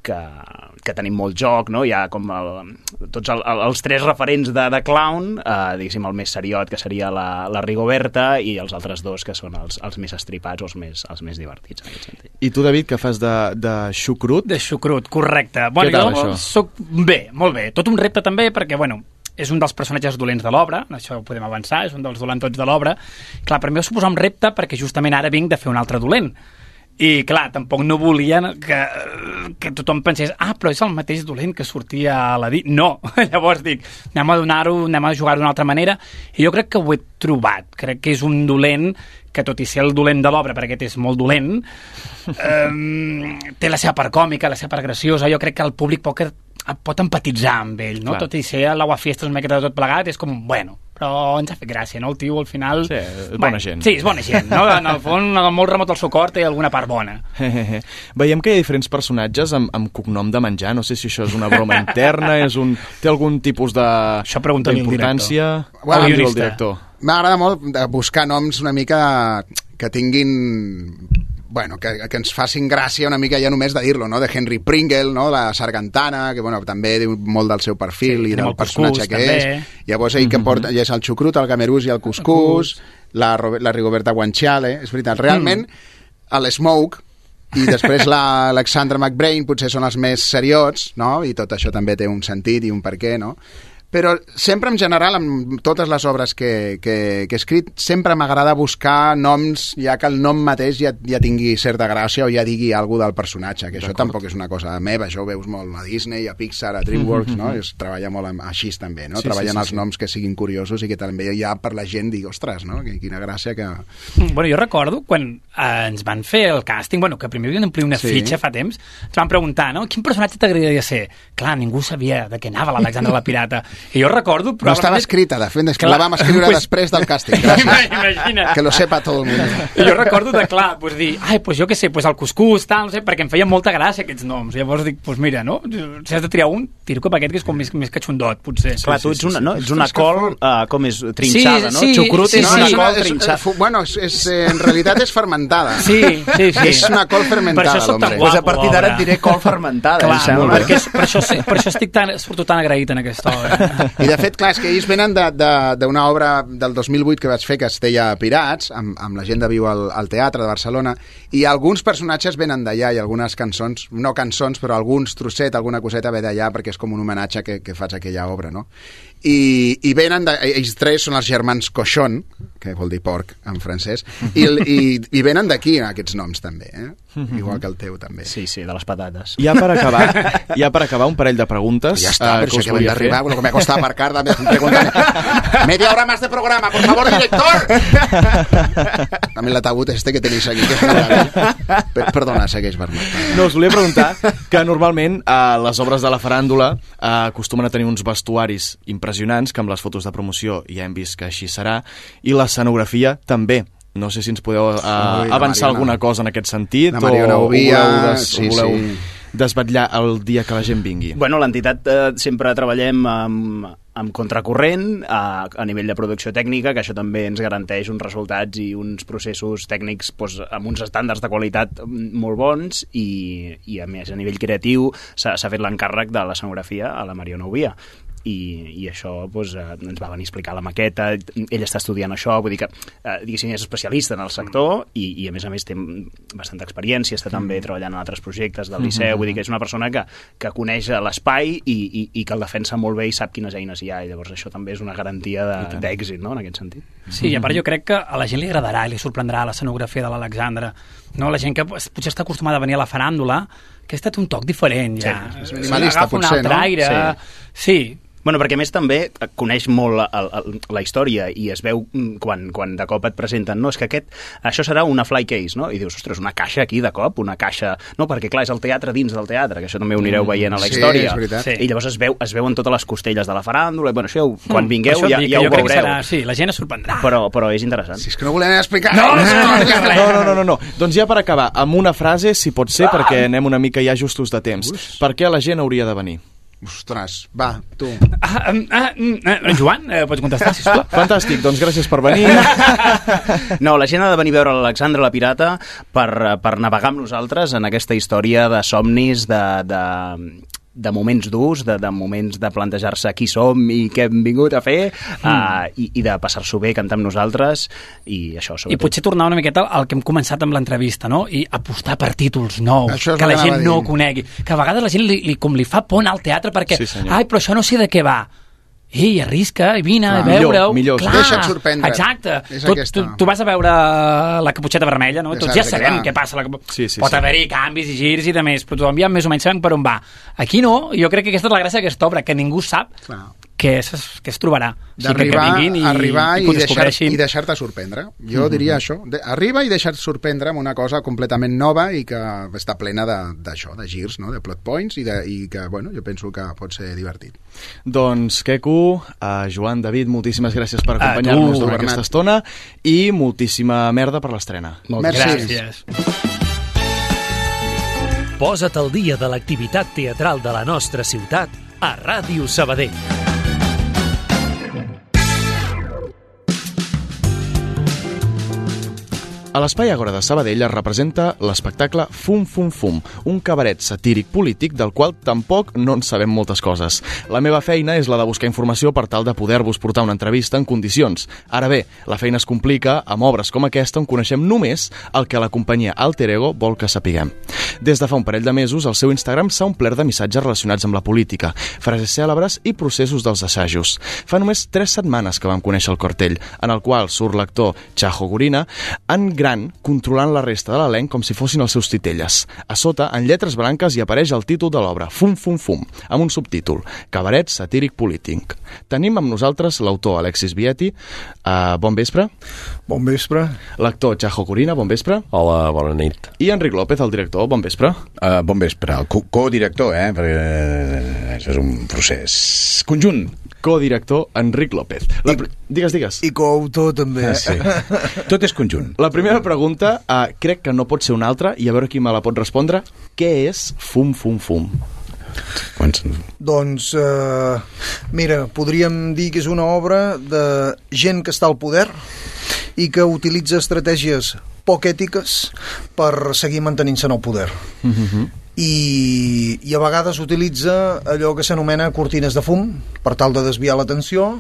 S6: que, que tenim molt joc, no? Hi ha com el, tots el, el, els tres referents de, de clown, eh, diguéssim el més seriot, que seria la, la Rigoberta, i els altres dos, que són els, els més estripats o els més, els més divertits, en aquest sentit.
S1: I tu, David, que fas de, de xucrut?
S5: De xucrut, correcte. Bueno,
S1: Què tal,
S5: jo
S1: això?
S5: soc bé, molt bé. Tot un repte també, perquè, bueno, és un dels personatges dolents de l'obra, això ho podem avançar, és un dels dolentots de l'obra. Clar, per mi va suposar un repte perquè justament ara vinc de fer un altre dolent. I, clar, tampoc no volien que, que tothom pensés ah, però és el mateix dolent que sortia a la dit. No, llavors dic, anem a donar-ho, anem a jugar d'una altra manera, i jo crec que ho he trobat. Crec que és un dolent que, tot i ser el dolent de l'obra, perquè aquest és molt dolent, eh, té la seva part còmica, la seva part graciosa. Jo crec que el públic pot, pot empatitzar amb ell, no? Clar. Tot i ser l'aguafiestes una miqueta de tot plegat, és com, bueno, però ens ha fet gràcia, no? El tio, al final...
S1: Sí, és bona
S5: bueno,
S1: gent.
S5: Sí, és bona gent, no? En el fons, molt remot al seu cor, té alguna part bona.
S1: Veiem que hi ha diferents personatges amb, amb cognom de menjar. No sé si això és una broma interna, és un, té algun tipus de
S5: això pregunta-li al director.
S1: Bueno, el director.
S4: M'agrada molt buscar noms una mica que tinguin... Bueno, que, que ens facin gràcia una mica ja només de dir-lo, no? De Henry Pringle, no? La Sargantana, que bueno, també diu molt del seu perfil, sí, i del personatge que també és. Llavors ell mm -hmm. que porta, ja és el xucrut, el camerús i el cuscús, la, la Rigoberta Guanciale, és veritat. Realment, mm. l'Smoke i després l'Alexandra McBrain potser són els més seriots, no? I tot això també té un sentit i un per què, no? Però sempre, en general, amb totes les obres que, que, que he escrit, sempre m'agrada buscar noms, ja que el nom mateix ja, ja tingui certa gràcia o ja digui alguna del personatge, que això tampoc és una cosa meva, això ho veus molt a Disney, a Pixar, a DreamWorks, no? Es treballa molt amb, així també, no? Sí, treballen sí, sí, els sí. noms que siguin curiosos i que també ja per la gent digui, ostres, no? Quina gràcia que...
S5: Bueno, jo recordo quan eh, ens van fer el càsting, bueno, que primer havien d'omplir una sí. fitxa fa temps, ens van preguntar, no? Quin personatge t'agradaria ser? Clar, ningú sabia de què anava l'Alexandra la Pirata. I jo recordo...
S4: No estava escrita, de fet, la vam escriure pues... després del càsting. Imagina. Que lo sepa tot el món.
S5: I jo recordo de, clar, pues dir, ai, pues jo què sé, pues el cuscús, tal, no sé, perquè em feien molta gràcia aquests noms. Llavors dic, pues mira, no? Si has de triar un, tiro cap a aquest, que és com més, més catxundot, potser.
S6: Clar,
S5: sí,
S6: tu ets
S5: sí,
S6: una,
S5: sí.
S6: no? Ets una col, uh, com és, trinxada,
S5: sí,
S6: no?
S5: Sí,
S6: Xucrut
S5: sí,
S6: és
S5: sí,
S6: una
S5: sí.
S6: col
S4: és,
S6: trinxada.
S4: És, bueno, és, és, en realitat és fermentada.
S5: Sí, sí, sí.
S4: És una col fermentada, l'home.
S6: Pues a partir d'ara et diré col fermentada.
S5: Clar, sembla, perquè és, per, això, per això estic tan, surto tan agraït en aquesta obra.
S4: I de fet, clar, és que ells venen d'una obra del dos mil vuit que vaig fer que es deia Pirats, amb, amb la gent de Viu al, al Teatre de Barcelona, i alguns personatges venen d'allà i algunes cançons, no cançons, però alguns trosset, alguna coseta ve d'allà perquè és com un homenatge que, que faig a aquella obra, no? I, i venen de, ells tres són els germans Cochon, que vol dir porc en francès, i, i, i venen d'aquí aquests noms també, eh? Mm-hmm. Igual que el teu també.
S6: Sí, sí, de les patates.
S1: Ja per acabar, ja per acabar un parell de preguntes.
S4: Ja està, uh, però això que vam d'arribar, lo que me costa aparcar, me preguntan, media hora más de programa, por favor, director! També l'ataúd este que tenéis aquí, que és una... Perdona, segueix, Bernat.
S1: No, us volia preguntar que normalment a les obres de la faràndula uh, acostumen a tenir uns vestuaris impressionants, que amb les fotos de promoció ja hem vist que així serà, i l'escenografia també. No sé si ens podeu uh, Ui, avançar alguna cosa en aquest sentit,
S4: o, o
S1: voleu, des,
S4: sí,
S1: o voleu
S4: sí.
S1: desvetllar el dia que la gent vingui.
S6: Bueno, l'entitat eh, sempre treballem amb, amb contracorrent a, a nivell de producció tècnica, que això també ens garanteix uns resultats i uns processos tècnics doncs, amb uns estàndards de qualitat molt bons, i, i a més a nivell creatiu s'ha fet l'encàrrec de l'escenografia a la Mariona Ovia. I, i això doncs, eh, ens va venir a explicar la maqueta, ell està estudiant això, vull dir que eh, diguéssim és especialista en el sector, i, i a més a més té bastanta experiència, està també treballant en altres projectes del Liceu, vull dir que és una persona que, que coneix l'espai i, i, i que el defensa molt bé i sap quines eines hi ha, i llavors això també és una garantia d'èxit, no?, en aquest sentit.
S5: Sí, i a part jo crec que a la gent li agradarà i li sorprendrà l'escenografia de l'Alexandra, no? La gent que potser està acostumada a venir a la faràndula, que ha estat un toc diferent ja,
S4: sí, és minimalista potser, no?
S5: Aire. Sí, sí.
S6: Bueno, perquè a més també coneix molt la, la, la història i es veu quan, quan de cop et presenten, no, és que aquest, això serà una fly case, no? I dius, ostres, una caixa aquí de cop, una caixa... No, perquè clar, és el teatre dins del teatre, que això també ho anireu veient a la
S4: sí,
S6: història.
S4: És veritat.
S6: Sí. I llavors es, veu, es veuen totes les costelles de la faràndula, i bueno, això quan vingueu ja, ja ho
S5: veureu.
S6: Serà,
S5: sí, la gent es sorprendrà.
S6: Però, però és interessant.
S4: Si és que no volem explicar...
S5: No, no, no, no,
S1: no, no, no, no. Doncs ja per acabar, amb una frase, si pot ser, perquè anem una mica ja justos de temps. Ux. Per què la gent hauria de venir?
S4: Ostres, va, tu.
S5: Ah, ah, ah, Joan, eh, pots contestar, sisplau?
S1: Fantàstic, doncs gràcies per venir.
S6: No, la gent ha de venir a veure l'Alexandra la Pirata per, per navegar amb nosaltres en aquesta història de somnis, de... de de moments durs, de, de moments de plantejar-se qui som i què hem vingut a fer, mm. uh, i, i de passar-s'ho bé, cantar amb nosaltres, i això, sobretot.
S5: I potser tornar una miqueta al que hem començat amb l'entrevista, no? I apostar per títols nous,
S4: això
S5: que la gent no conegui. Que a vegades la gent li, li, com li fa por anar al teatre perquè, sí, ai, però això no sé de què va. ei, arrisca, i vine,
S4: Clar,
S5: a veure-ho.
S1: millor, millor.
S5: Clar,
S4: Deixa't sorprendre.
S5: Exacte.
S4: És
S5: Tu,
S4: aquesta.
S5: tu, tu vas a veure la caputxeta vermella, no?
S4: Exacte,
S5: Tots ja sabem
S4: clar.
S5: què passa. La...
S1: Sí, sí,
S5: Pot
S1: sí.
S5: haver-hi canvis i girs i de més, però tothom ja més o menys sabem per on va. Aquí no, jo crec que aquesta és la gràcia d'aquesta obra, que ningú sap
S4: Clar.
S5: què es, què es trobarà.
S4: D'arribar
S5: que, que vinguin i,
S4: arribar
S5: i,
S4: i,
S5: que ho
S4: deixar,
S5: descobreixin.
S4: i deixar-te sorprendre. Jo diria això. De, arriba i deixar-te sorprendre amb una cosa completament nova i que està plena d'això, de, de girs, no? De plot points i, de, i que, bueno, jo penso que pot ser divertit.
S1: Doncs, Queco, uh, Joan, David, moltíssimes gràcies per
S5: A
S1: acompanyar-nos
S5: tu,
S1: durant
S4: Bernat.
S1: aquesta estona i moltíssima merda per l'estrena.
S4: Merci.
S5: Gràcies.
S2: Posa't al dia de l'activitat teatral de la nostra ciutat a Ràdio Sabadell.
S1: A l'Espai Agora de Sabadell es representa l'espectacle Fum Fum Fum, un cabaret satíric polític del qual tampoc no en sabem moltes coses. La meva feina és la de buscar informació per tal de poder-vos portar una entrevista en condicions. Ara bé, la feina es complica amb obres com aquesta on coneixem només el que la companyia Alter Ego vol que sapiguem. Des de fa un parell de mesos, el seu Instagram s'ha omplert de missatges relacionats amb la política, frases cèlebres i processos dels assajos. Fa només tres setmanes que vam conèixer el cartell, en el qual surt l'actor Chajo Gorina en gran, controlant la resta de l'elenc com si fossin els seus titelles. A sota, en lletres blanques, hi apareix el títol de l'obra, Fum Fum Fum, amb un subtítol, Cabaret satíric polític. Tenim amb nosaltres l'autor Alexis Vietti. Uh, bon vespre.
S9: Bon vespre.
S1: L'actor Chajo Gorina, bon vespre.
S9: Hola, bona nit.
S1: I Enric López, el director, bon vespre.
S10: Uh, bon vespre. El co- codirector, eh? Perquè això és un procés conjunt.
S1: Codirector Enric López. La pr... Digues, digues.
S9: I coautor també.
S10: Ah, sí. Tot és conjunt.
S1: La primera pregunta, uh, crec que no pot ser una altra, i a veure qui me la pot respondre. Què és Fum Fum Fum?
S10: Quants...
S9: Doncs, eh, mira, podríem dir que és una obra de gent que està al poder i que utilitza estratègies poc ètiques per seguir mantenint-se en el poder.
S1: Mm-hmm.
S9: I, i a vegades utilitza allò que s'anomena cortines de fum per tal de desviar l'atenció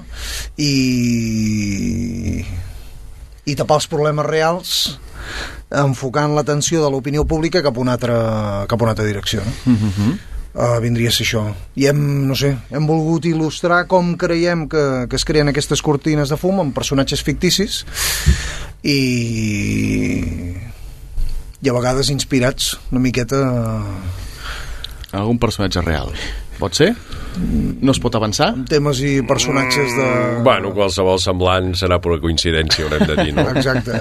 S9: i, i tapar els problemes reals, enfocant l'atenció de l'opinió pública cap a una altra, cap a una altra direcció, no?
S1: Mm-hmm.
S9: Uh, vindria a ser això. I hem, no sé, hem volgut il·lustrar com creiem que, que es creen aquestes cortines de fum amb personatges ficticis i i a vegades inspirats una miqueta...
S1: Algun personatge real. Pot ser? No es pot avançar?
S9: Temes i personatges de...
S11: Bueno, qualsevol semblant serà pura coincidència, haurem de dir, no?
S9: Exacte.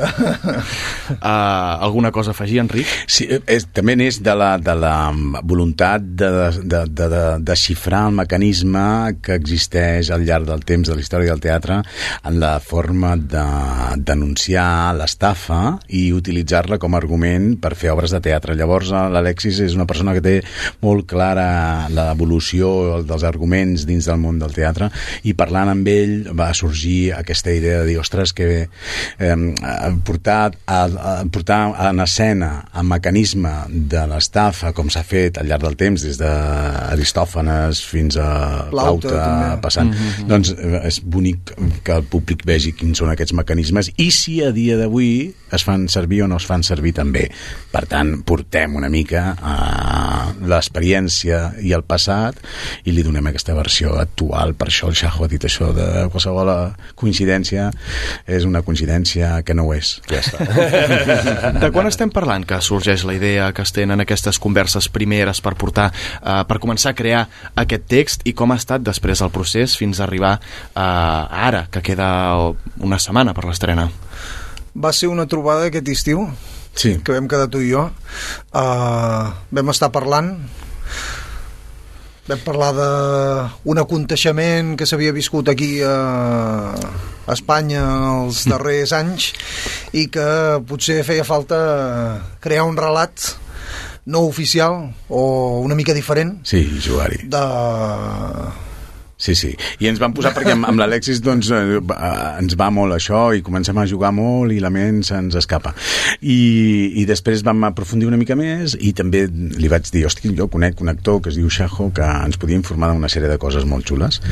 S1: Uh, alguna cosa a afegir, Enric?
S10: Sí, és, també n'és de la, de la voluntat de, de, de, de desxifrar el mecanisme que existeix al llarg del temps de la història del teatre en la forma de denunciar l'estafa i utilitzar-la com a argument per fer obres de teatre. Llavors, l'Alexis és una persona que té molt clara l'evolució dels arguments dins del món del teatre i parlant amb ell va sorgir aquesta idea de dir, ostres, que eh, portar, a, a, portar en escena el mecanisme de l'estafa com s'ha fet al llarg del temps des d'Aristòfanes fins a Plauta, Plauta passant, mm-hmm. doncs és bonic que el públic vegi quins són aquests mecanismes i si a dia d'avui es fan servir o no es fan servir també. Per tant, portem una mica a l'experiència i el passat i li donem aquesta versió actual. Per això el Chajo ha dit això de qualsevol coincidència és una coincidència que no ho és.
S11: Ja està.
S1: De quan estem parlant que sorgeix la idea, que es tenen aquestes converses primeres per portar, uh, per començar a crear aquest text i com ha estat després el procés fins a arribar uh, ara, que queda una setmana per l'estrena?
S9: Va ser una trobada aquest estiu,
S10: sí.
S9: que vam quedar tu i jo. Uh, vam estar parlant vam parlar d'un aconteixement que s'havia viscut aquí a, a Espanya els darrers anys i que potser feia falta crear un relat no oficial o una mica diferent
S10: sí, jugar-hi
S9: de...
S10: Sí, sí. I ens vam posar perquè amb, amb l'Alexis doncs, eh, ens va molt això i comencem a jugar molt i la ment se'ns escapa. I, i després vam aprofundir una mica més i també li vaig dir, hosti, jo conec un actor que es diu Chajo que ens podia informar d'una sèrie de coses molt xules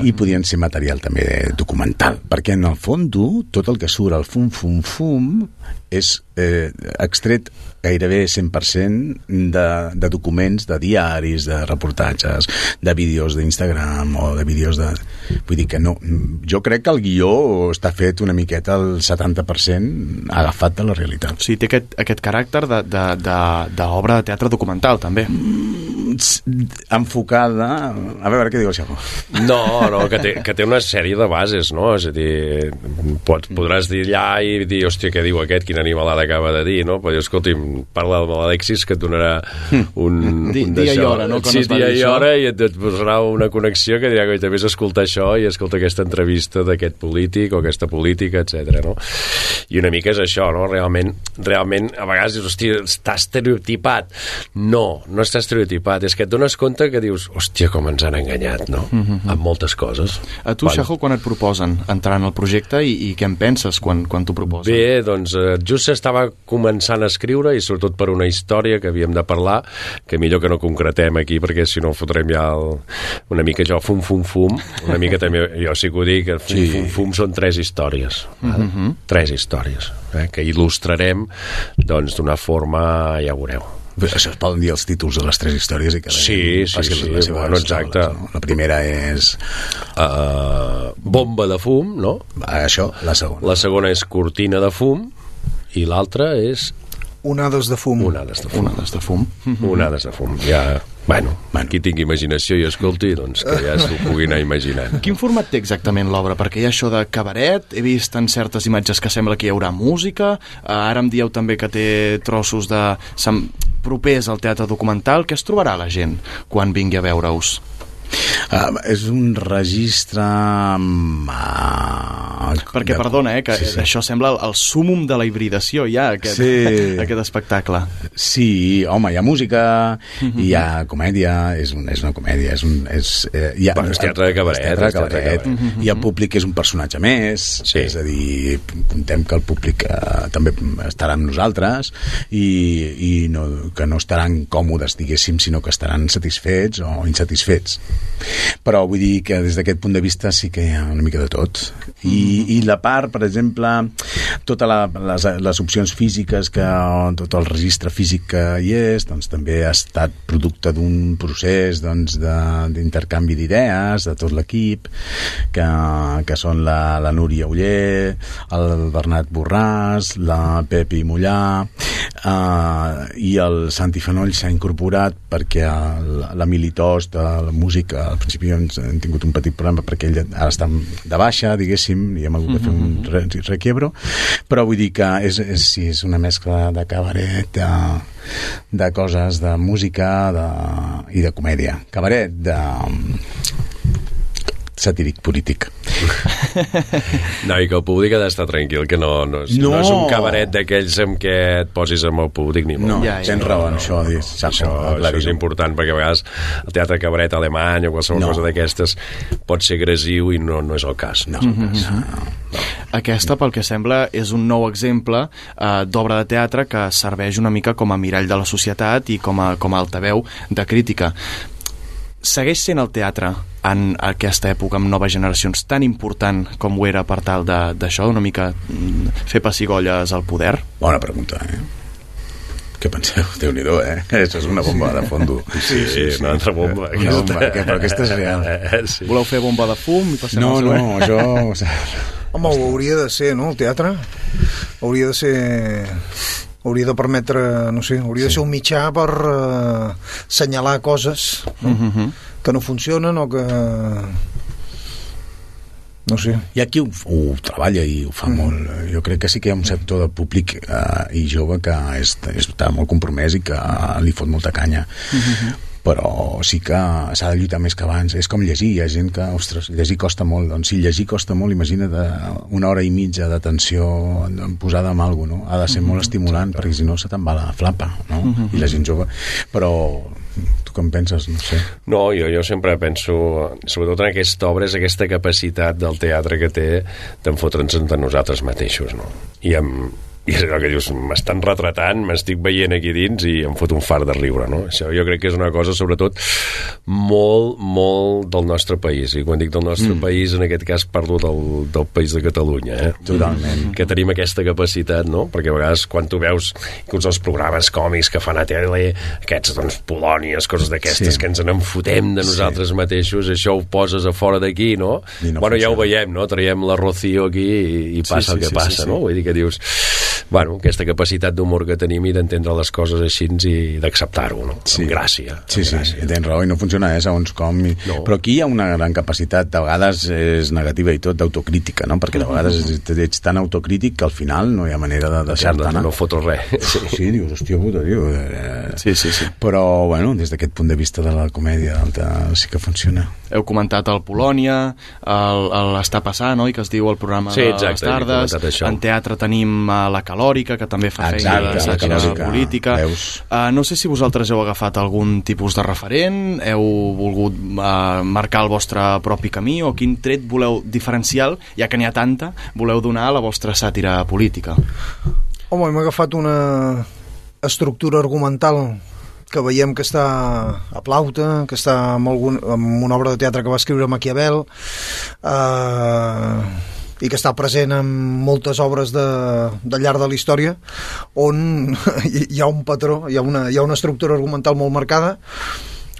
S10: i podien ser material també documental, perquè en el fons tot el que surt al fum, fum, fum és eh, extret gairebé cent per cent de, de documents, de diaris, de reportatges, de vídeos d'Instagram o de vídeos de... Vull dir que no... Jo crec que el guió està fet una miqueta al setanta per cent agafat de la realitat.
S1: O sigui, té aquest, aquest caràcter d'obra de, de, de, de teatre documental, també.
S10: Enfocada... A veure què diu el Xaco.
S11: No, no, que té, que té una sèrie de bases, no? És a dir, pots, podràs dir allà i dir, hòstia, què diu aquest, quina animalada acaba de dir, no? Però jo, escolti'm, parla de l'Alexis que et donarà un...
S1: Di, dia i hora, no?
S11: Sí, dia i hora, i et, et posarà una connexió que dirà que també és escoltar això i escolta aquesta entrevista d'aquest polític o aquesta política, etcètera, no? I una mica és això, no? Realment, realment a vegades dius, hòstia, està estereotipat. No, no està estereotipat, és que et dones compte que dius, hòstia, com ens han enganyat, no? Mm -hmm. Amb moltes coses.
S1: A tu, Xajo, quan et proposen entrar en el projecte i, i què en penses quan, quan t'ho proposen?
S11: Bé, doncs just s'estava començant a escriure i sobretot per una història que havíem de parlar, que millor que no concretem aquí perquè si no fotrem ja el, una mica jo fum fum fum, una mica també jo sí que ho dic, fum sí. fum fum són tres històries, mm -hmm. tres històries eh, que il·lustrarem doncs d'una forma, ja veureu.
S10: Això es poden dir els títols de les tres històries i que
S11: sí, sí, sí, sí, bueno, exacte.
S10: Taules, no? La primera és
S11: uh, bomba de fum, no?
S10: Això, la segona.
S11: La segona és cortina de fum i l'altra és
S9: onades de fum.
S11: Onades de fum.
S1: Onades de fum.
S11: Onades de fum. Ja, bueno, bueno, qui tingui imaginació i escolti, doncs que ja s'ho pugui anar imaginant.
S1: Quin format té exactament l'obra? Perquè hi ha això de cabaret, he vist en certes imatges que sembla que hi haurà música, ara em dieu també que té trossos de propers al teatre documental. Què es trobarà la gent quan vingui a veure-us?
S10: Uh, és un registre uh,
S1: perquè, de... perdona, eh, que sí, sí. això sembla el, el súmum de la hibridació ja, aquest, sí. aquest espectacle.
S10: Sí, home, hi ha música, mm-hmm. hi ha comèdia, és, un, és una comèdia, és un... És, eh, hi ha,
S11: bueno, és teatre de cabaret.
S10: Teatre de cabaret. Mm-hmm. I el públic és un personatge més, sí. És a dir, contem que el públic eh, també estarà amb nosaltres i, i no, que no estaran còmodes, diguéssim, sinó que estaran satisfets o insatisfets. Però vull dir que des d'aquest punt de vista sí que hi ha una mica de tot i, mm. i la part, per exemple totes les, les opcions físiques que, tot el registre físic que hi és, doncs també ha estat producte d'un procés doncs, d'intercanvi d'idees de tot l'equip que, que són la, la Núria Oller, el Bernat Borràs, la Pepi Mollà uh, i el Santi Fanoll s'ha incorporat perquè l'Emili Tos de la música al principi ens hem tingut un petit problema perquè ell ara està de baixa, diguéssim, i hem hagut de fer un re requiebro, però vull dir que és, és, sí, és una mescla de cabaret, de, de coses, de música de, i de comèdia. Cabaret de satíric polític.
S11: No, i que el públic ha d'estar tranquil, que no, no, és, no. no és un cabaret d'aquells amb què et posis amb el públic ni molt.
S10: No, ja, ja, tens raó en no, això, no,
S11: això, això és important, perquè a vegades el teatre cabaret alemany o qualsevol no. cosa d'aquestes pot ser agressiu i no, no és el cas. No és el cas.
S1: Mm-hmm. no. Aquesta, pel que sembla, és un nou exemple eh, d'obra de teatre que serveix una mica com a mirall de la societat i com a, com a altaveu de crítica. Segueix sent el teatre en aquesta època amb noves generacions tan important com ho era per tal d'això, una mica fer pessigolles al poder?
S10: Bona pregunta, eh? Què penseu? Déu-n'hi-do, eh? Això és una bomba de fondo.
S11: Sí, sí, sí, una altra bomba.
S10: Una bomba, que, però aquesta és real.
S11: Eh, sí.
S1: Voleu fer bomba de fum? I passem
S10: no, no, això... O sigui...
S9: Home, ho hauria de ser, no?, el teatre. Hauria de ser... hauria de permetre, no sé, hauria sí. de ser un mitjà per uh, assenyalar coses no? Mm-hmm. que no funcionen o que... no sé.
S10: Hi ha qui ho, ho treballa i ho fa mm. molt. Jo crec que sí que hi ha un sector de públic uh, i jove que és, està molt compromès i que uh, li fot molta canya. Mm-hmm. Però sí que s'ha de lluitar més que abans. És com llegir, hi ha gent que, ostres, llegir costa molt, doncs si llegir costa molt, imagina't una hora i mitja d'atenció posada en alguna cosa, no? Ha de ser mm-hmm. molt estimulant, perquè si no se te'n va la flapa, no? Mm-hmm. I la gent jove, però tu com penses? No sé.
S11: No, jo, jo sempre penso, sobretot en aquesta obra, és aquesta capacitat del teatre que té d'enfotre'ns entre nosaltres mateixos, no? I amb i és allò que dius, m'estan retratant, m'estic veient aquí dins i em fot un fart de riure, no? Això jo crec que és una cosa, sobretot, molt, molt del nostre país. I quan dic del nostre mm. país, en aquest cas parlo del, del país de Catalunya, eh?
S10: Totalment.
S11: Que tenim aquesta capacitat, no? Perquè a vegades quan tu veus inclús els programes còmics que fan a tele, aquests, doncs, Polònies, coses d'aquestes, sí. que ens n'enfotem de nosaltres sí. mateixos, això ho poses a fora d'aquí, no? no? Bueno, ja ho veiem, no? Traiem la Rocío aquí i, i passa sí, sí, el que sí, passa, sí, sí. no? Vull dir que dius... Bueno, aquesta capacitat d'humor que tenim i d'entendre les coses així i d'acceptar-ho, no?
S10: Sí.
S11: Amb gràcia.
S10: Sí,
S11: amb
S10: sí,
S11: gràcia.
S10: tens raó, i no funciona, eh, segons com. I... No. Però aquí hi ha una gran capacitat, a vegades és negativa i tot, d'autocrítica, no? Perquè a vegades ets tan autocrític que al final no hi ha manera de deixar-te anar.
S11: No, no fotos res.
S10: Sí, sí, dius, hòstia puta, tio. Eh...
S11: Sí, sí, sí.
S10: Però, bueno, des d'aquest punt de vista de la comèdia sí que funciona.
S1: Heu comentat el Polònia, el, el Està passant, oi?, que es diu el programa
S11: sí,
S1: de les tardes. En teatre tenim uh, la Calòrica, que també fa feina de sàtira política. Uh, no sé si vosaltres heu agafat algun tipus de referent, heu volgut uh, marcar el vostre propi camí, o quin tret voleu diferencial, ja que n'hi ha tanta, voleu donar a la vostra sàtira política?
S9: Home, hem agafat una estructura argumental que veiem que està a Plauta, que està en, algun, en una obra de teatre que va escriure Maquiavel, eh, i que està present en moltes obres de, de llarg de la història, on hi ha un patró, hi ha una, hi ha una estructura argumental molt marcada,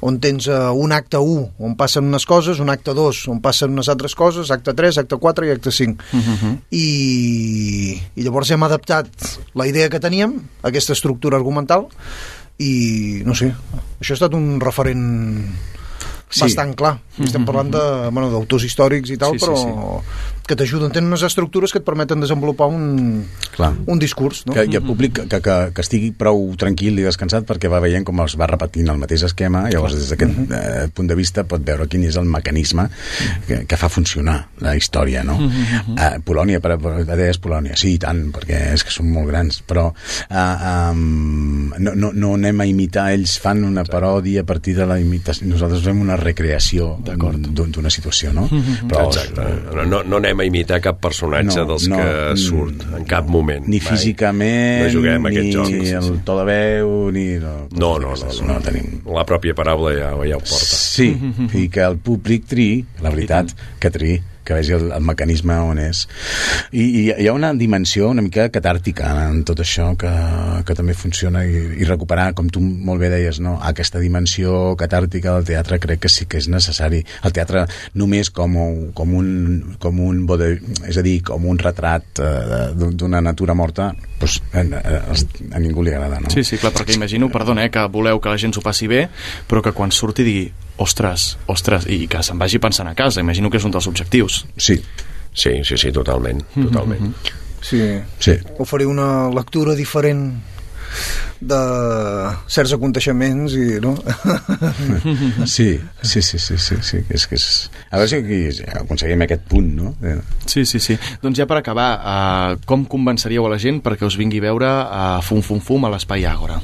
S9: on tens uh, un acte u on passen unes coses, un acte dos on passen unes altres coses, acte tres, acte quatre i acte cinc. Uh-huh. I, i llavors hem adaptat la idea que teníem, aquesta estructura argumental, i no sé, això ha estat un referent sí. bastant clar. Mm-hmm. Estem parlant de, bueno, d'autors històrics i tal, sí, però sí, sí. que t'ajuden, tenen unes estructures que et permeten desenvolupar un, un discurs, no?
S10: Que, i el públic que, que, que estigui prou tranquil i descansat perquè va veient com es va repetint el mateix esquema, llavors des d'aquest mm-hmm. eh, punt de vista pot veure quin és el mecanisme que, que fa funcionar la història, no? Mm-hmm. eh, Polònia, per, per, deies Polònia, sí, i tant, perquè és que són molt grans, però eh, um, no, no, no anem a imitar, ells fan una paròdia a partir de la imitació, nosaltres fem una recreació d'una situació, no? Mm-hmm. Però,
S11: exacte, no, no, no anem a imitar cap personatge no, dels no, que surt en cap moment.
S10: Ni físicament,
S11: no juguem
S10: ni
S11: aquest joc,
S10: sí,
S11: sí,
S10: el
S11: sí.
S10: to de veu, ni... No,
S11: no, no, no, no, no.
S10: Tenim...
S11: La pròpia paraula ja, ja ho porta.
S10: Sí, i que el públic triï, la veritat, que triï, que vegi el, el mecanisme on és. I, i hi ha una dimensió una mica catàrtica en tot això que, que també funciona i, i recuperar, com tu molt bé deies, no? Aquesta dimensió catàrtica del teatre crec que sí que és necessari. El teatre només com, com un, com un bode, és a dir, com un retrat eh, d'una natura morta, doncs a, a, a ningú li agrada, no?
S1: Sí, sí, clar, perquè imagino, perdona, eh, que voleu que la gent s'ho passi bé, però que quan surti digui ostres, ostres, i que se'n vagi pensant a casa. Imagino que és un dels objectius.
S10: Sí.
S11: Sí, sí, sí, totalment, totalment.
S9: Mm-hmm. Sí.
S10: sí.
S9: Oferir una lectura diferent de certs aconteixements i, no?
S10: Sí, sí, sí, sí, sí, sí. És que és... A veure si aquí aconseguim aquest punt, no?
S1: Sí, sí, sí. Doncs ja per acabar, uh, com convenceríeu a la gent perquè us vingui a veure a uh, Fum Fum Fum a l'Espai Àgora?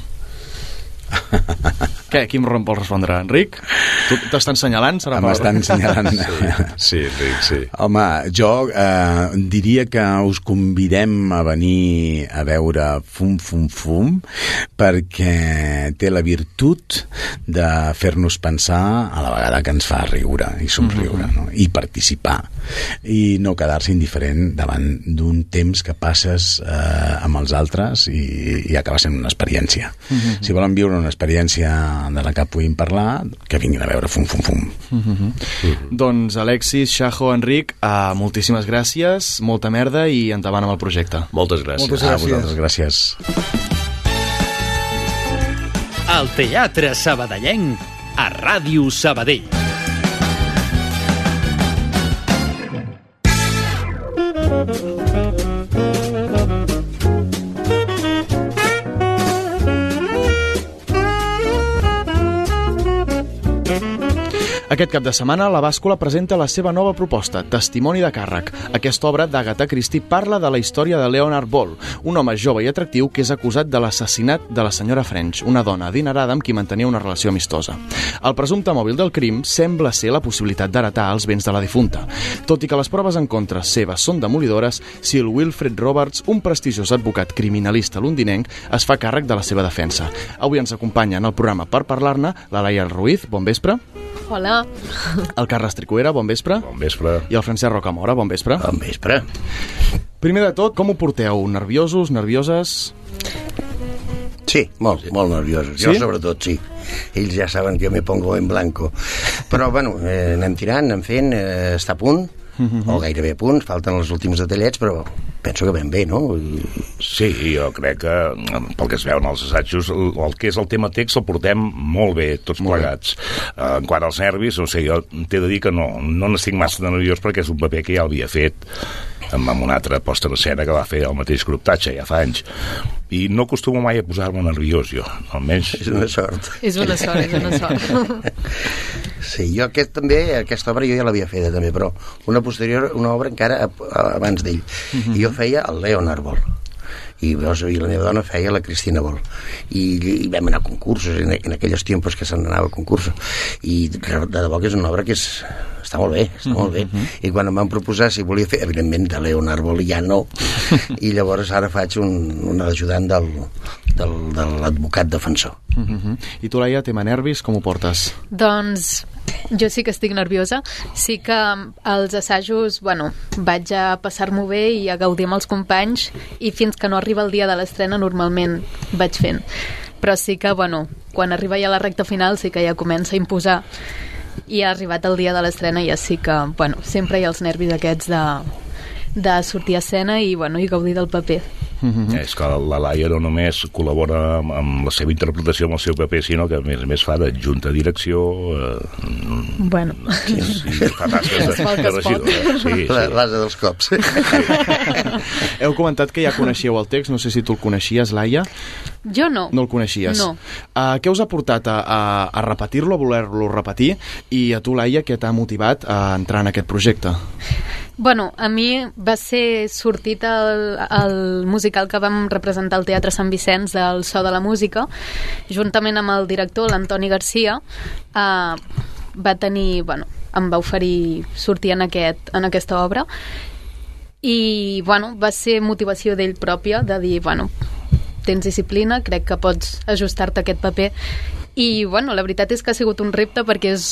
S1: Què? Qui em vol respondre? Enric? Tu t'està ensenyalant? Serà
S10: M'està ensenyalant.
S11: Sí, sí, Enric, sí.
S10: Home, jo eh, diria que us convidem a venir a veure Fum Fum Fum perquè té la virtut de fer-nos pensar a la vegada que ens fa riure i somriure, mm-hmm. no? I participar i no quedar-se indiferent davant d'un temps que passes eh, amb els altres i, i acaba sent una experiència. Mm-hmm. Si volen viure una experiència de la que puguin parlar, que vinguin a veure Fum Fum Fum.
S1: Mm-hmm. Mm-hmm. Doncs Alexis, Shajo, Enric, uh, moltíssimes gràcies, molta merda i endavant amb el projecte.
S11: Moltes gràcies.
S9: Moltes gràcies.
S10: A vosaltres, gràcies.
S2: El Teatre Sabadellenc a Ràdio Sabadell.
S1: Aquest cap de setmana, la Bàscula presenta la seva nova proposta, Testimoni de càrrec. Aquesta obra d'Agatha Christie parla de la història de Leonard Ball, un home jove i atractiu que és acusat de l'assassinat de la senyora French, una dona adinerada amb qui mantenia una relació amistosa. El presumpte mòbil del crim sembla ser la possibilitat d'heretar els béns de la difunta. Tot i que les proves en contra seves són demolidores, Sir Wilfred Roberts, un prestigiós advocat criminalista londinenc, es fa càrrec de la seva defensa. Avui ens acompanya en el programa per parlar-ne la Laia Ruiz, bon vespre.
S12: Hola.
S1: El Carles Tricuera, bon vespre.
S11: Bon vespre.
S1: I el Francesc Rocamora, bon vespre.
S13: Bon vespre.
S1: Primer de tot, com ho porteu? Nerviosos, nervioses?
S13: Sí, molt, molt nerviosos.
S1: Sí?
S13: Jo sobretot, sí. Ells ja saben que jo me pongo en blanco. Però, bueno, eh, anem tirant, anem fent, eh, està a punt, mm-hmm. o gairebé a punt, falten els últims detallets, però penso que ben bé, no? I...
S14: Sí, jo crec que, pel que es veuen els assajos, el, el que és el tema text el portem molt bé, tots molt plegats. Bé. En quant als nervis, o sigui, jo t'he de dir que no, no n'estic massa de nerviós perquè és un paper que ja l'havia fet amb una altra posta en escena que va fer el mateix grup Tatxa ja fa anys. I no acostumo mai a posar-me nerviós, jo. Almenys...
S13: És una sort.
S12: És una sort, és una sort.
S13: Sí, jo aquest, també, aquesta obra jo ja l'havia feta també, però una posterior, una obra encara abans d'ell. Uh-huh. I jo feia el Leonard Ball. I, i la meva dona feia la Cristina Ball. I, i vam anar a concursos en, en aquells temps que se n'anava a concursos. I de debò que és una obra que és, està molt bé, està molt bé. Uh-huh. I quan em van proposar si volia fer, evidentment de Leonard Ball ja no, i llavors ara faig un, un ajudant del, del, de l'advocat defensor.
S1: Uh-huh. I tu, Laia, tema nervis, com ho portes?
S12: Doncs jo sí que estic nerviosa. Sí que als assajos, bueno, vaig a passar-m'ho bé i a gaudir amb els companys, i fins que no arriba el dia de l'estrena normalment vaig fent. Però sí que, bueno, quan arriba ja la recta final sí que ja comença a imposar, i ha arribat el dia de l'estrena i ja sí que, bueno, sempre hi ha els nervis aquests de, de sortir a escena i, bueno, i gaudir del paper.
S14: Mm-hmm. És que la Laia no només col·labora amb, amb la seva interpretació amb el seu paper, sinó que a més a més fa d'adjunta direcció, eh,
S12: bueno,
S14: sí, sí, fa tasques de, de regidor, eh? Sí, sí.
S13: L'asa dels cops.
S1: Heu comentat que ja coneixíeu el text, no sé si tu el coneixies, Laia.
S12: Jo no.
S1: No el coneixies?
S12: No.
S1: Uh, què us ha portat a, a, a repetir-lo, a voler-lo repetir, i a tu, Laia, què t'ha motivat a entrar en aquest projecte?
S12: Bueno, a mi va ser sortit el, el musical que vam representar al Teatre Sant Vicenç del So de la Música, juntament amb el director, l'Antoni Garcia, eh, va tenir, bueno, em va oferir sortir en, aquest, en aquesta obra, i, bueno, va ser motivació d'ell pròpia, de dir, bueno, tens disciplina, crec que pots ajustar-te a aquest paper. I, bueno, la veritat és que ha sigut un repte perquè és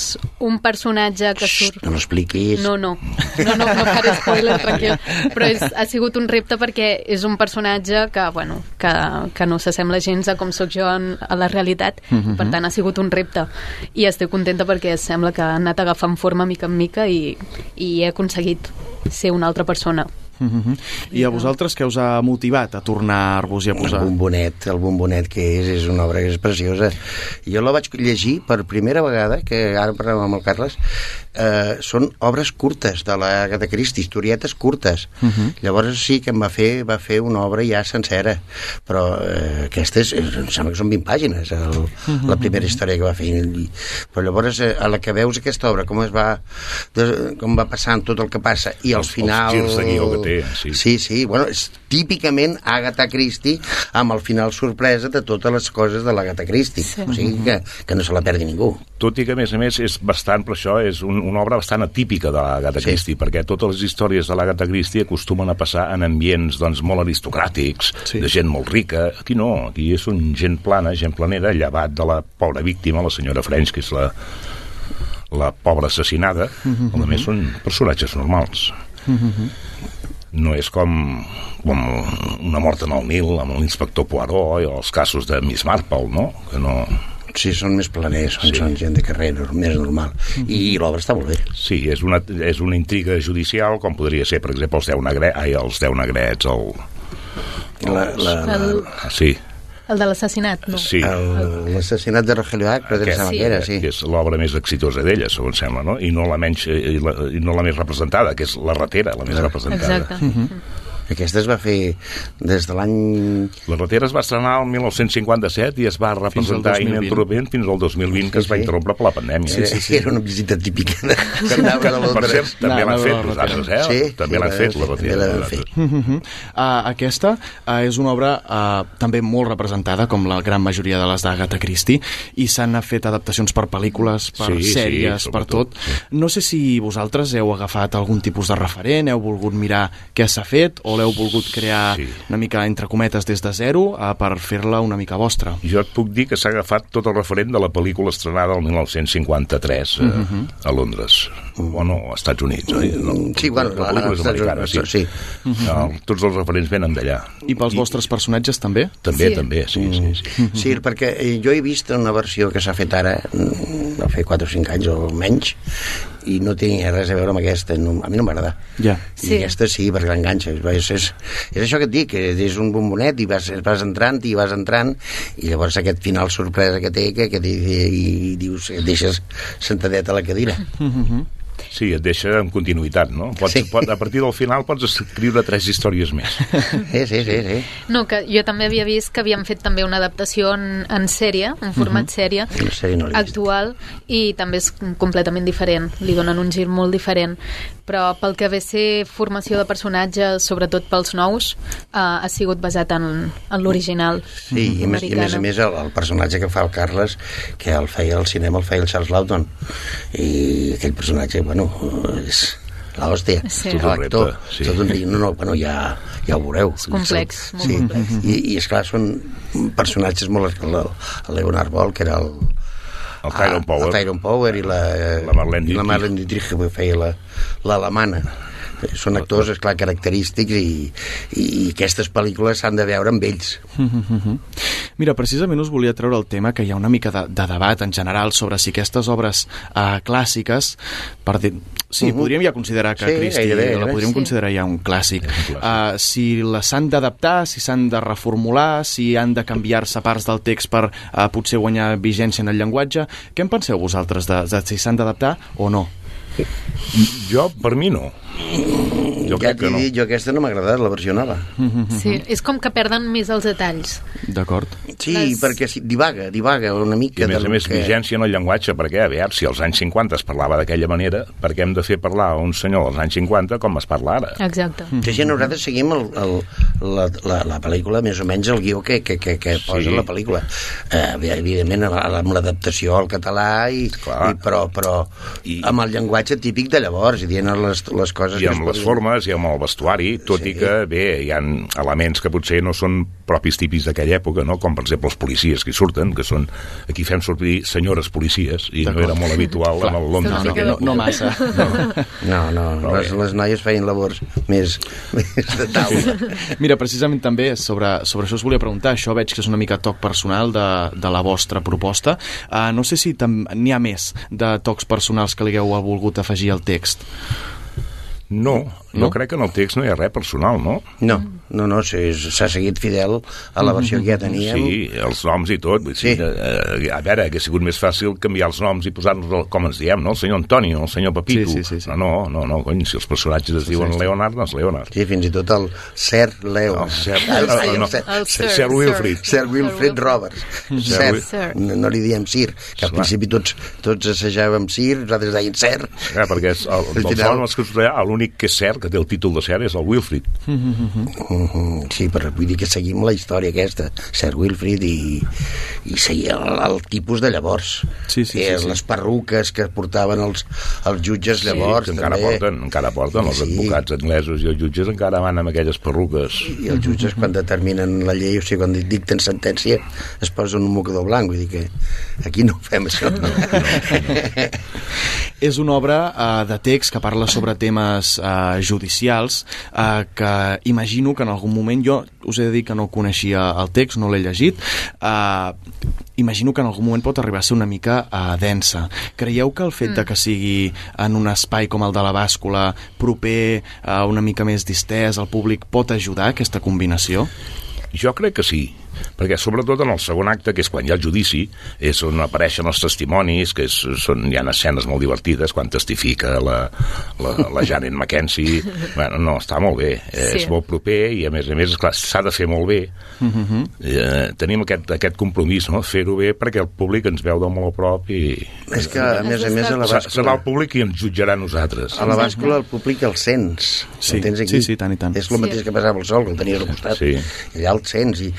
S12: un personatge que surt...
S13: No l'expliquis.
S12: No, no, no, no, no faré spoiler, tranquil. Però és, ha sigut un repte perquè és un personatge que, bueno, que, que no s'assembla gens a com sóc jo en, a la realitat. Mm-hmm. Per tant, ha sigut un repte. I estic contenta perquè sembla que ha anat agafant forma mica en mica i, i he aconseguit ser una altra persona.
S1: Uh-huh. I a vosaltres què us ha motivat a tornar-vos i a posar?
S13: El bombonet, el bombonet que és, és una obra que és preciosa. Jo la vaig llegir per primera vegada, que ara parlem amb el Carles, eh, són obres curtes de l'Agatha Christie, historietes curtes. Uh-huh. Llavors sí que em va fer, va fer una obra ja sencera, però eh, aquestes, em sembla que són vint pàgines, el, uh-huh. la primera història que va fer. Però llavors, eh, a la que veus aquesta obra, com es va, de, com va passant tot el que passa, i al
S14: els,
S13: final...
S14: Els girs de guió que té, sí.
S13: Sí, sí, bueno, és típicament Agatha Christie amb el final sorpresa de totes les coses de l'Agatha Christie. Sí. O sigui que, que no se la perdi ningú.
S14: Tot i que, a més a més, és bastant, per això, és un, una obra bastant atípica de l'Agatha sí. Christie, perquè totes les històries de l'Agatha Christie acostumen a passar en ambients, doncs, molt aristocràtics, sí. de gent molt rica. Aquí no, aquí és un gent plana, gent planera, llevat de la pobra víctima, la senyora French, que és la, la pobra assassinada. Mm-hmm. A més, són personatges normals. Mm-hmm. No és com, com una mort en el Nil amb l'inspector Poirot i els casos de Miss Marple, no? Que no...
S13: Sí, són més planers, són, sí. són gent de carrer, més normal. Mm-hmm. I l'obra està molt bé.
S14: Sí, és una, és una intriga judicial, com podria ser, per exemple, els deu, negre... Ai, els deu negrets, el...
S13: La, la, la...
S12: el...
S14: Sí.
S12: El de l'assassinat, no?
S14: Sí.
S13: L'assassinat de Rogelio Hack, però
S14: Aquest,
S13: sí. Era, sí.
S14: Que és l'obra més exitosa d'ella, segons sembla, no? I no la menys, i, la, i no la més representada, que és La ratera, la més
S12: Exacte.
S14: representada.
S12: Exacte. Mm-hmm.
S13: Aquesta es va fer des de l'any...
S14: La Ratera es va estrenar el dinou cinquanta-set i es va representar ininterrompent fins al dos mil vint, que es va interrompre per la pandèmia.
S13: Sí, sí, sí. Era una visita típica de...
S14: que, que, per cert, també l'han fet nosaltres, eh?
S13: Sí,
S14: també l'han fet, la Ratera.
S1: Aquesta és una obra també molt representada, com la gran majoria de les d'Agatha Christie, i s'han fet adaptacions per pel·lícules, per sèries, per tot. No sé si vosaltres heu agafat algun tipus de referent, heu volgut mirar què s'ha fet, o l'heu volgut crear una mica, entre cometes, des de zero per fer-la una mica vostra.
S14: Jo et puc dir que s'ha agafat tot el referent de la pel·lícula estrenada el dinou cinquanta-tres uh, uh-huh. a Londres, bueno, als Estats Units, oi? No,
S13: sí, bueno,
S14: la pel·lícula és americana, sí.
S13: sí.
S14: Uh-huh. No, tots els referents venen d'allà.
S1: I pels I... vostres personatges també?
S14: També, sí. també, sí, sí, sí.
S13: Uh-huh. Sí, perquè jo he vist una versió que s'ha fet ara, no fa quatre o cinc anys o menys, i no tenia res a veure amb aquesta, no, a mi no m'agrada.
S1: Ja.
S13: I sí. aquesta sí, perquè l'enganxa. És, és, és això que et dic, que és un bombonet i vas, vas entrant i vas entrant i llavors aquest final sorpresa que té que, que i, i dius, et deixes sentadet a la cadira.
S1: Mhm.
S14: Sí, et deixa en continuïtat, no? Pots, sí. pot, a partir del final pots escriure tres històries més.
S13: Sí, sí, sí, sí.
S12: No, que jo també havia vist que havien fet també una adaptació en, en sèrie, en format uh-huh. sèrie,
S13: sèrie no
S12: actual, i també és completament diferent, li donen un gir molt diferent, però pel que ve ser formació de personatges, sobretot pels nous, uh, ha sigut basat en, en l'original.
S13: Sí, i, més, i a més a més el, el personatge que fa el Carles, que el feia al cinema, el feia el Charles Lawton, i aquell personatge, bueno, és l'hòstia,
S12: sí.
S13: l'actor, sí. tot un... no, no, bueno, ja, ja ho veureu.
S12: És complex, molt
S13: sí.
S12: complex.
S13: I, i esclar, són personatges molt... El, el Leonard Ball, que era el...
S14: El Tyrone Power.
S13: El Tyrone Power i la,
S14: la Marlene Dietrich.
S13: La Marlene Dietrich, que feia la, l'alemana. Són actors, esclar, característics i, i aquestes pel·lícules s'han de veure amb ells.
S1: Mira, precisament us volia treure el tema que hi ha una mica de, de debat en general sobre si aquestes obres uh, clàssiques, per dir, sí, uh-huh. podríem ja considerar que
S13: sí,
S1: Christie
S13: gairebé,
S1: la podríem
S13: sí.
S1: considerar ja un clàssic, uh, si les s'han d'adaptar, si s'han de reformular, si han de canviar-se parts del text per uh, potser guanyar vigència en el llenguatge, què en penseu vosaltres de, de si s'han d'adaptar o no?
S14: Jo, per mi no. Jo
S13: ja
S14: crec que no.
S13: Dit, jo aquesta no m'ha agradat, la versió nova.
S12: Sí, és com que perden més els detalls.
S1: D'acord.
S13: Sí,
S12: Les...
S13: perquè sí, divaga, divaga una mica.
S14: I a més a més,
S13: que...
S14: vigència en el llenguatge, perquè, a veure, si als anys cinquanta es parlava d'aquella manera, per què hem de fer parlar a un senyor als anys cinquanta com es parla ara?
S12: Exacte.
S13: Sí, sí, nosaltres seguim el, el, la, la, la pel·lícula, més o menys el guió que, que, que, que posa sí. la pel·lícula. Eh, evidentment, amb l'adaptació al català, i, i, però, però I... amb el llenguatge típic de llavors, i dient les, les coses...
S14: I amb les podien... formes, i amb el vestuari, tot sí. i que, bé, hi ha elements que potser no són propis típics d'aquella època, no? Com, per exemple, els policies que hi surten, que són... Aquí fem sortir senyores policies, i no era molt habitual amb el Londres.
S1: No, no, no massa.
S13: No, no, no les, les noies feien labors més, més de taula.
S1: Mira, precisament també sobre, sobre això us volia preguntar, això veig que és una mica toc personal de, de la vostra proposta. Uh, no sé si n'hi ha més de tocs personals que li hagueu volgut afegir al text.
S14: No, no, jo crec que en el text no hi ha res personal, no?
S13: No, no, no, s'ha seguit fidel a la versió que ja teníem.
S14: Sí, els noms i tot. Sí. Sí, a veure, hauria sigut més fàcil canviar els noms i posar-nos com ens diem, no? El senyor Antonio, el senyor Pepito.
S1: Sí, sí, sí, sí.
S14: No, no, no, cony, si els personatges es diuen sí, sí. Leonard, doncs Leonard.
S13: Sí, fins i tot el Sir Leo.
S14: El Sir, el, el, no, el Sir, Sir Wilfrid.
S13: Sir Wilfrid Roberts. Sir, Sir. No, no li diem Sir, que al principi tots, tots assajàvem Sir, nosaltres deien Sir.
S14: Ja, perquè és el, el, el, el, el, l'únic que és cert, que té el títol de Sir, és el Wilfrid.
S13: Mm-hmm. Sí, però vull dir que seguim la història aquesta, Sir Wilfrid, i, i seguia el, el tipus de llavors.
S1: Sí, sí,
S13: eh,
S1: sí, sí.
S13: Les perruques que portaven els, els jutges
S14: sí,
S13: llavors.
S14: Encara
S13: també.
S14: porten, encara porten els sí. advocats anglesos i els jutges encara van amb aquelles perruques.
S13: I els jutges quan determinen la llei, o sigui, quan dicten sentència, es posen un mocador blanc, vull dir que aquí no fem això. No, no, no.
S1: És una obra uh, de text que parla sobre temes uh, judicials uh, que imagino que en algun moment, jo us he de dir que no coneixia el text, no l'he llegit, uh, imagino que en algun moment pot arribar a ser una mica uh, densa. Creieu que el fet mm. de que sigui en un espai com el de la bàscula, proper, uh, una mica més distès al públic, pot ajudar aquesta combinació?
S14: Jo crec que sí. perquè sobretot en el segon acte, que és quan hi ha el judici, és on apareixen els testimonis, que és, són, hi ha escenes molt divertides, quan testifica la, la, la Janet Mackenzie. Bueno, no, està molt bé, sí. És molt proper i a més a més, esclar, s'ha de fer molt bé. Uh-huh. eh, tenim aquest, aquest compromís, no? Fer-ho bé perquè el públic ens veu de molt a prop i...
S13: És que, a més a més, a la bàscula...
S14: Serà el públic i ens jutjarà a nosaltres.
S13: A la bàscula el públic el sents.
S1: Sí,
S13: el tens aquí.
S1: Sí, sí, tant i tant.
S13: És el mateix que passava al sol, que el tenies al costat.
S14: Sí.
S13: I allà el sents. I,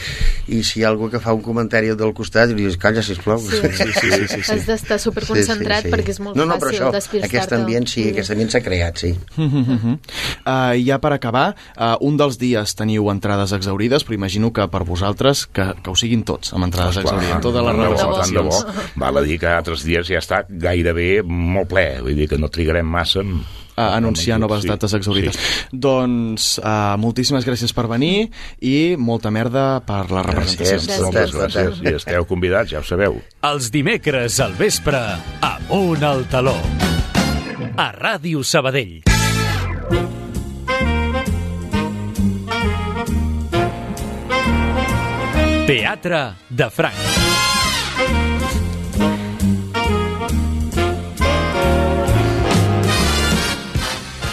S13: i si hi ha algú que fa un comentari del costat, i li dius, calla, sisplau.
S12: Sí, sí, sí, sí, sí, sí. Has d'estar superconcentrat sí, sí, sí. perquè és molt
S13: no, no,
S12: fàcil
S13: això,
S12: despistar-te.
S13: Aquest ambient, sí, aquest ambient s'ha creat, sí.
S1: Uh-huh. Uh, ja per acabar, uh, un dels dies teniu entrades exaurides, però imagino que per vosaltres que, que ho siguin tots, amb entrades exaurides. Totes les representacions.
S14: Val a dir que altres dies ja està gairebé molt ple, vull dir que no trigarem massa en...
S1: a anunciar noves
S14: sí,
S1: dates exaurides.
S14: Sí.
S1: Doncs uh, moltíssimes gràcies per venir i molta merda per la representació.
S14: Gràcies, moltes gràcies. I esteu convidats, ja ho sabeu.
S2: Els dimecres al vespre, Amunt al Taló. A Ràdio Sabadell. Teatre de Franc.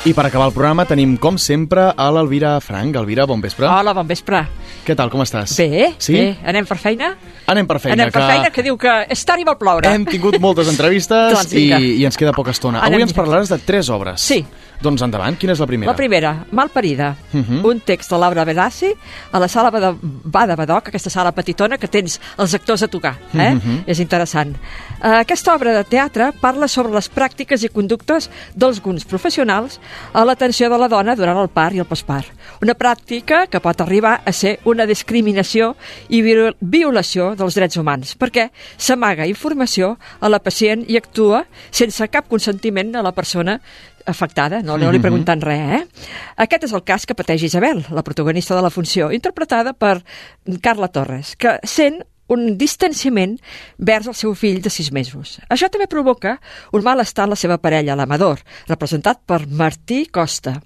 S1: I per acabar el programa tenim, com sempre, a l'Elvira Franc. Elvira, bon vespre.
S15: Hola, bon vespre.
S1: Què tal, com estàs?
S15: Bé,
S1: sí?
S15: bé. Anem per feina?
S1: Anem per feina.
S15: Anem per
S1: que...
S15: feina, que diu que és tard i vol ploure.
S1: Hem tingut moltes entrevistes
S15: doncs
S1: i, i ens queda poca estona.
S15: Anem
S1: Avui ens parlaràs de tres obres.
S15: Sí.
S1: Doncs endavant, quina és la primera?
S15: La primera, Malparida, uh -huh. un text de Laura Benassi a la sala Bada, Bada Badoc, aquesta sala petitona que tens els actors a tocar. Eh? Uh -huh. És interessant. Uh, aquesta obra de teatre parla sobre les pràctiques i conductes d'alguns professionals a l'atenció de la dona durant el part i el postpart. Una pràctica que pot arribar a ser una discriminació i violació dels drets humans, perquè s'amaga informació a la pacient i actua sense cap consentiment a la persona afectada, no, no li preguntant res, eh? Aquest és el cas que pateix Isabel, la protagonista de la funció, interpretada per Carla Torres, que sent un distanciament vers el seu fill de sis mesos. Això també provoca un malestar en la seva parella, l'Amador, representat per Martí Costa.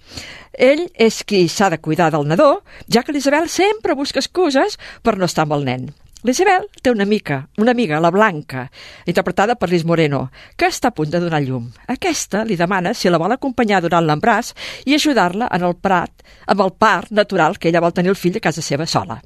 S15: Ell és qui s'ha de cuidar del nadó, ja que l'Isabel sempre busca excuses per no estar amb el nen. L'Isabel té una amiga, una amiga, la Blanca, interpretada per Liz Moreno, que està a punt de donar llum. Aquesta li demana si la vol acompanyar durant l'embràs i ajudar-la en el prat, amb el part natural que ella vol tenir el fill a casa seva sola.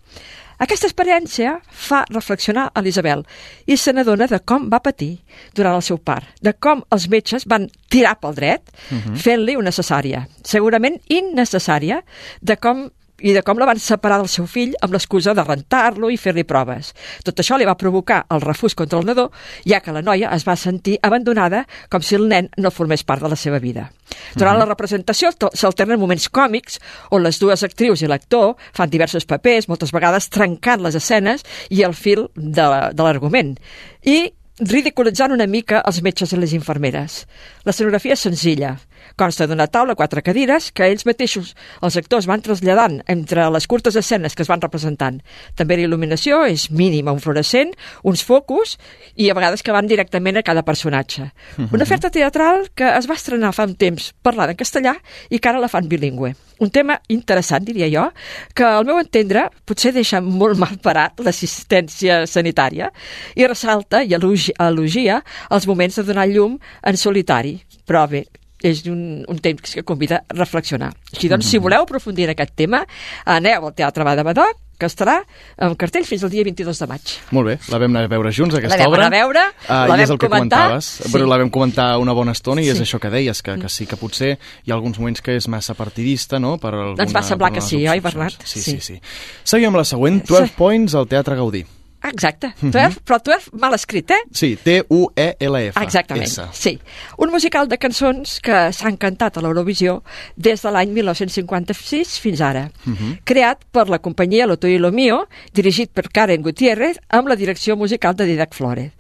S15: Aquesta experiència fa reflexionar a l'Isabel i se n'adona de com va patir durant el seu part, de com els metges van tirar pel dret uh-huh. fent-li una cesària, segurament innecessària, de com i de com la van separar del seu fill amb l'excusa de rentar-lo i fer-li proves. Tot això li va provocar el refús contra el nadó, ja que la noia es va sentir abandonada com si el nen no formés part de la seva vida. Durant uh-huh. la representació s'alternen moments còmics on les dues actrius i l'actor fan diversos papers, moltes vegades trencant les escenes i el fil de, de l'argument. I ridiculitzant una mica els metges i les infermeres. L'escenografia és senzilla. Consta d'una taula, quatre cadires, que ells mateixos, els actors, van traslladant entre les curtes escenes que es van representant. També la il·luminació és mínima, un fluorescent, uns focus, i a vegades que van directament a cada personatge. Uh-huh. Una oferta teatral que es va estrenar fa un temps parlant en castellà i que ara la fan bilingüe. Un tema interessant, diria jo, que al meu entendre potser deixa molt mal parat l'assistència sanitària i ressalta i elogia els moments de donar llum en solitari. Però bé, és un, un temps que convida a reflexionar. Així doncs, mm-hmm. si voleu aprofundir en aquest tema, aneu al Teatre Bada Badoc, que estarà en cartell fins al dia vint-i-dos de maig.
S1: Molt bé, la vam anar a veure junts, aquesta
S15: la
S1: obra.
S15: La vam anar a veure,
S1: uh,
S15: la
S1: vam és el que
S15: comentar.
S1: Sí. Però la vam comentar una bona estona i sí. és això que deies, que, que sí que potser hi ha alguns moments que és massa partidista, no? Per alguna,
S15: Ens va semblar que sí, oi, Bernat?
S1: Sí, sí, sí. sí. Seguim amb la següent, dotze sí. Points al Teatre Gaudí.
S15: Exacte, Twerf, però Twerf mal escrit, eh?
S1: Sí, T U E L F.
S15: Exactament,
S1: S.
S15: sí. Un musical de cançons que s'han cantat a l'Eurovisió des de l'any mil nou-cents cinquanta-sis fins ara. Uh-huh. Creat per la companyia Lo Tuyo y Lo Mío, dirigit per Karen Gutiérrez, amb la direcció musical de Didac Flórez.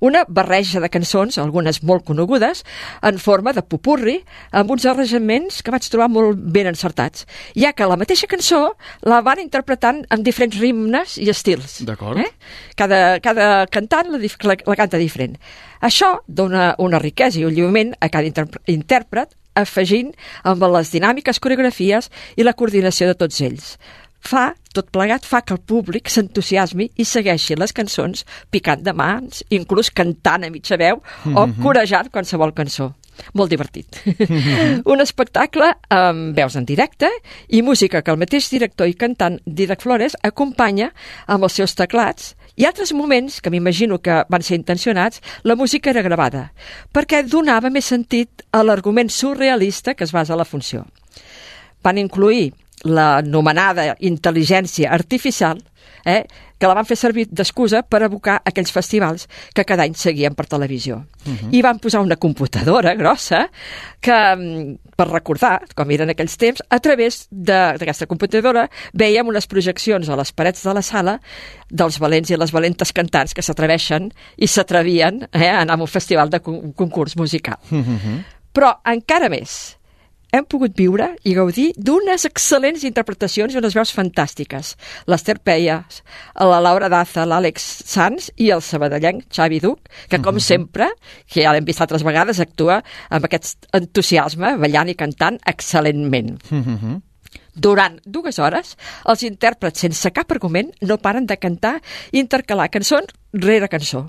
S15: Una barreja de cançons, algunes molt conegudes, en forma de popurri, amb uns arranjaments que vaig trobar molt ben encertats, ja que la mateixa cançó la van interpretant amb diferents ritmes i estils.
S1: D'acord.
S15: Eh? Cada, cada cantant la, la, la canta diferent. Això dona una riquesa i un lliurament a cada inter intèrpret, afegint amb les dinàmiques, coreografies i la coordinació de tots ells. fa, tot plegat, fa que el públic s'entusiasmi i segueixi les cançons picant de mans, inclús cantant a mitja veu o corejant qualsevol cançó. Molt divertit. Un espectacle amb veus en directe i música que el mateix director i cantant Dídac Flores acompanya amb els seus teclats, i altres moments, que m'imagino que van ser intencionats, la música era gravada, perquè donava més sentit a l'argument surrealista que es basa a la funció. Van incluir l'anomenada intel·ligència artificial, eh, que la van fer servir d'excusa per evocar aquells festivals que cada any seguien per televisió. Uh-huh. I van posar una computadora grossa que, per recordar, com eren aquells temps, a través d'aquesta computadora veiem unes projeccions a les parets de la sala dels valents i les valentes cantants que s'atreveixen i s'atrevien eh, a anar a un festival de concurs musical. Uh-huh. Però encara més, hem pogut viure i gaudir d'unes excel·lents interpretacions i unes veus fantàstiques. L'Ester Peies, la Laura Daza, l'Àlex Sanz i el sabadellenc Xavi Duch, que com uh-huh. sempre, que ja l'hem vist altres vegades, actua amb aquest entusiasme, ballant i cantant excel·lentment. Uh-huh. Durant dues hores, els intèrprets, sense cap argument, no paren de cantar i intercalar cançó rere cançó.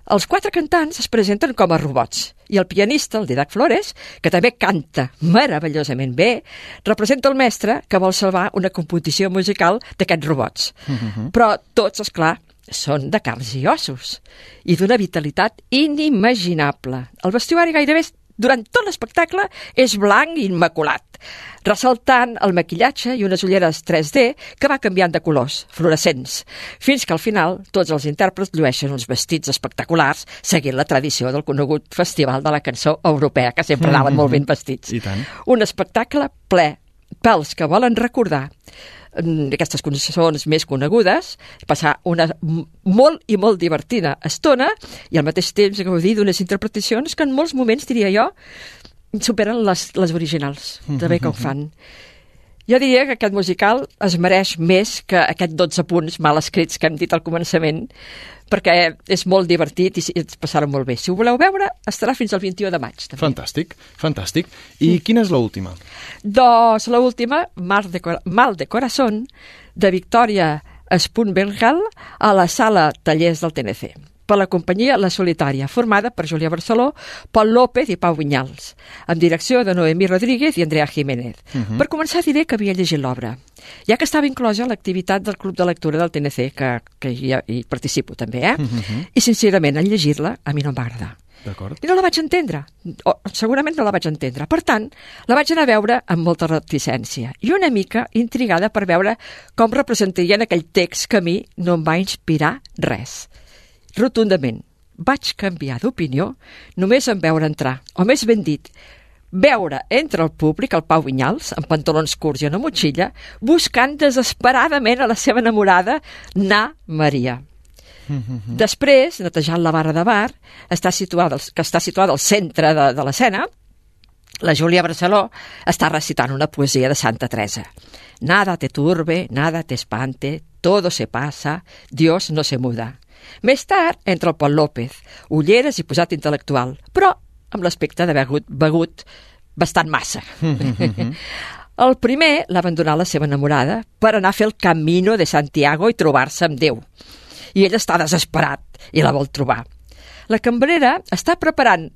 S15: Els quatre cantants es presenten com a robots i el pianista, el Dídac Flores, que també canta meravellosament bé, representa el mestre que vol salvar una composició musical d'aquests robots. Uh-huh. Però tots, esclar, són de carns i ossos i d'una vitalitat inimaginable. El vestuari gairebé durant tot l'espectacle és blanc i immaculat, ressaltant el maquillatge i unes ulleres tres D que va canviant de colors, fluorescents, fins que al final tots els intèrprets llueixen uns vestits espectaculars seguint la tradició del conegut Festival de la Cançó Europea, que sempre anaven molt ben vestits.
S1: I tant.
S15: Un espectacle ple pels que volen recordar aquestes cançons més conegudes, passar una molt i molt divertida estona i al mateix temps gaudir d'unes interpretacions que en molts moments, diria jo, superen les, les originals, de bé que ho fan. Jo diria que aquest musical es mereix més que aquests dotze punts mal escrits que hem dit al començament, perquè és molt divertit i ens passarà molt bé. Si ho voleu veure, estarà fins al vint-i-u de maig. També.
S1: Fantàstic, fantàstic. I quina és l'última?
S15: Doncs l'última, Mal de, Mal de Corazón, de Victoria Spunbengal, a la sala Tallers del T N C, per la companyia La Solitària, formada per Júlia Barceló, Pol López i Pau Vinyals, amb direcció de Noemí Rodríguez i Andrea Jiménez. Uh-huh. Per començar diré que havia llegit l'obra, ja que estava inclosa a l'activitat del Club de Lectura del T N C, que, que hi, hi participo també, eh? Uh-huh. I sincerament, en llegir-la, a mi no em va agradar.
S1: D'acord.
S15: I no la vaig entendre, o segurament no la vaig entendre. Per tant, la vaig anar a veure amb molta reticència i una mica intrigada per veure com representarien aquell text que a mi no em va inspirar res. Rotundament, vaig canviar d'opinió només en veure entrar, o més ben dit, veure entre el públic el Pau Vinyals, amb pantalons curts i una motxilla, buscant desesperadament a la seva enamorada, Na Maria. Mm-hmm. Després, netejant la barra de bar, està situada, que està situada al centre de, de l'escena, la Júlia Barceló està recitant una poesia de Santa Teresa. Nada te turbe, nada te espante, todo se pasa, Dios no se muda. Més tard entra el Pol López, ulleres i posat intel·lectual, però amb l'aspecte d'haver begut, begut bastant massa. El primer l'ha abandonat la seva enamorada per anar a fer el Camino de Santiago i trobar-se amb Déu. I ell està desesperat i la vol trobar. La cambrera està preparant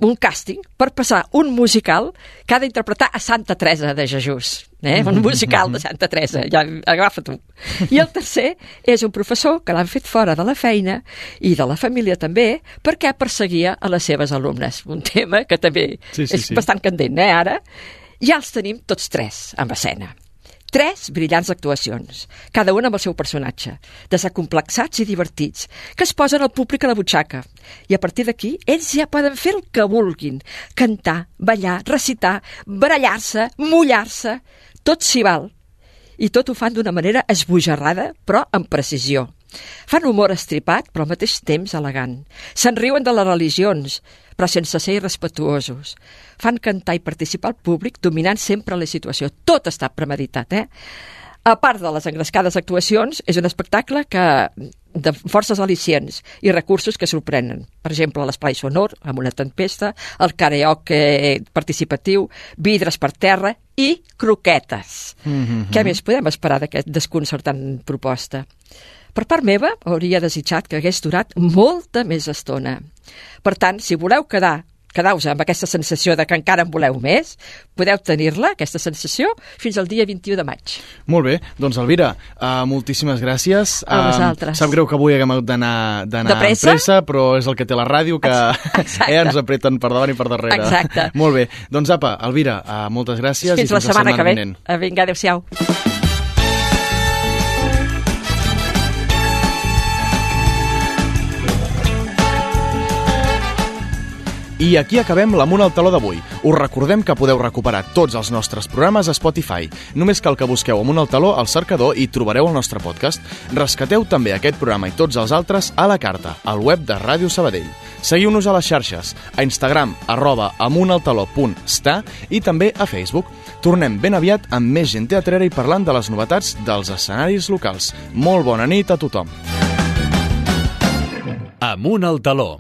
S15: un càsting per passar un musical que ha d'interpretar a Santa Teresa de Jesús. Eh? Un musical de Santa Teresa, ja agafa tu. I el tercer és un professor que l'han fet fora de la feina i de la família també perquè perseguia a les seves alumnes. Un tema que també sí, sí, és sí. bastant candent, eh, ara? Ja els tenim tots tres en escena. Tres brillants actuacions, cada una amb el seu personatge, desacomplexats i divertits, que es posen al públic a la butxaca. I a partir d'aquí, ells ja poden fer el que vulguin, cantar, ballar, recitar, barallar-se, mullar-se, tot s'hi val. I tot ho fan d'una manera esbojarrada, però amb precisió. Fan humor estripat, però al mateix temps elegant. Se'n riuen de les religions, però sense ser irrespetuosos. Fan cantar i participar al públic, dominant sempre la situació. Tot està premeditat, eh? A part de les engrescades actuacions, és un espectacle que de forces al·licients i recursos que sorprenen. Per exemple, l'esplai sonor, amb una tempesta, el karaoke participatiu, vidres per terra i croquetes. Mm-hmm. Què més podem esperar d'aquest desconcertant proposta? Per part meva, hauria desitjat que hagués durat molta més estona. Per tant, si voleu quedar quedeu-vos amb aquesta sensació de que encara en voleu més, podeu tenir-la, aquesta sensació, fins al dia vint-i-u de maig.
S1: Molt bé, doncs Elvira, uh, moltíssimes gràcies.
S15: A vosaltres.
S1: Uh, sap greu que avui haguem hagut d'anar amb pressa, però és el que té la ràdio, que eh, ens apreten per davant i per darrere.
S15: Exacte.
S1: Molt bé, doncs apa, Elvira, uh, moltes gràcies.
S15: Fins
S1: i fins
S15: la setmana,
S1: setmana
S15: que ve. Vinga, adéu-siau.
S1: I aquí acabem l'Amunt al Taló d'avui. Us recordem que podeu recuperar tots els nostres programes a Spotify. Només cal que busqueu Amunt al Taló al cercador i trobareu el nostre podcast. Rescateu també aquest programa i tots els altres a la carta, al web de Ràdio Sabadell. Seguiu-nos a les xarxes, a Instagram, arroba amuntaltaló punt sta i també a Facebook. Tornem ben aviat amb més gent teatrera i parlant de les novetats dels escenaris locals. Molt bona nit a tothom.
S2: Amunt al Taló.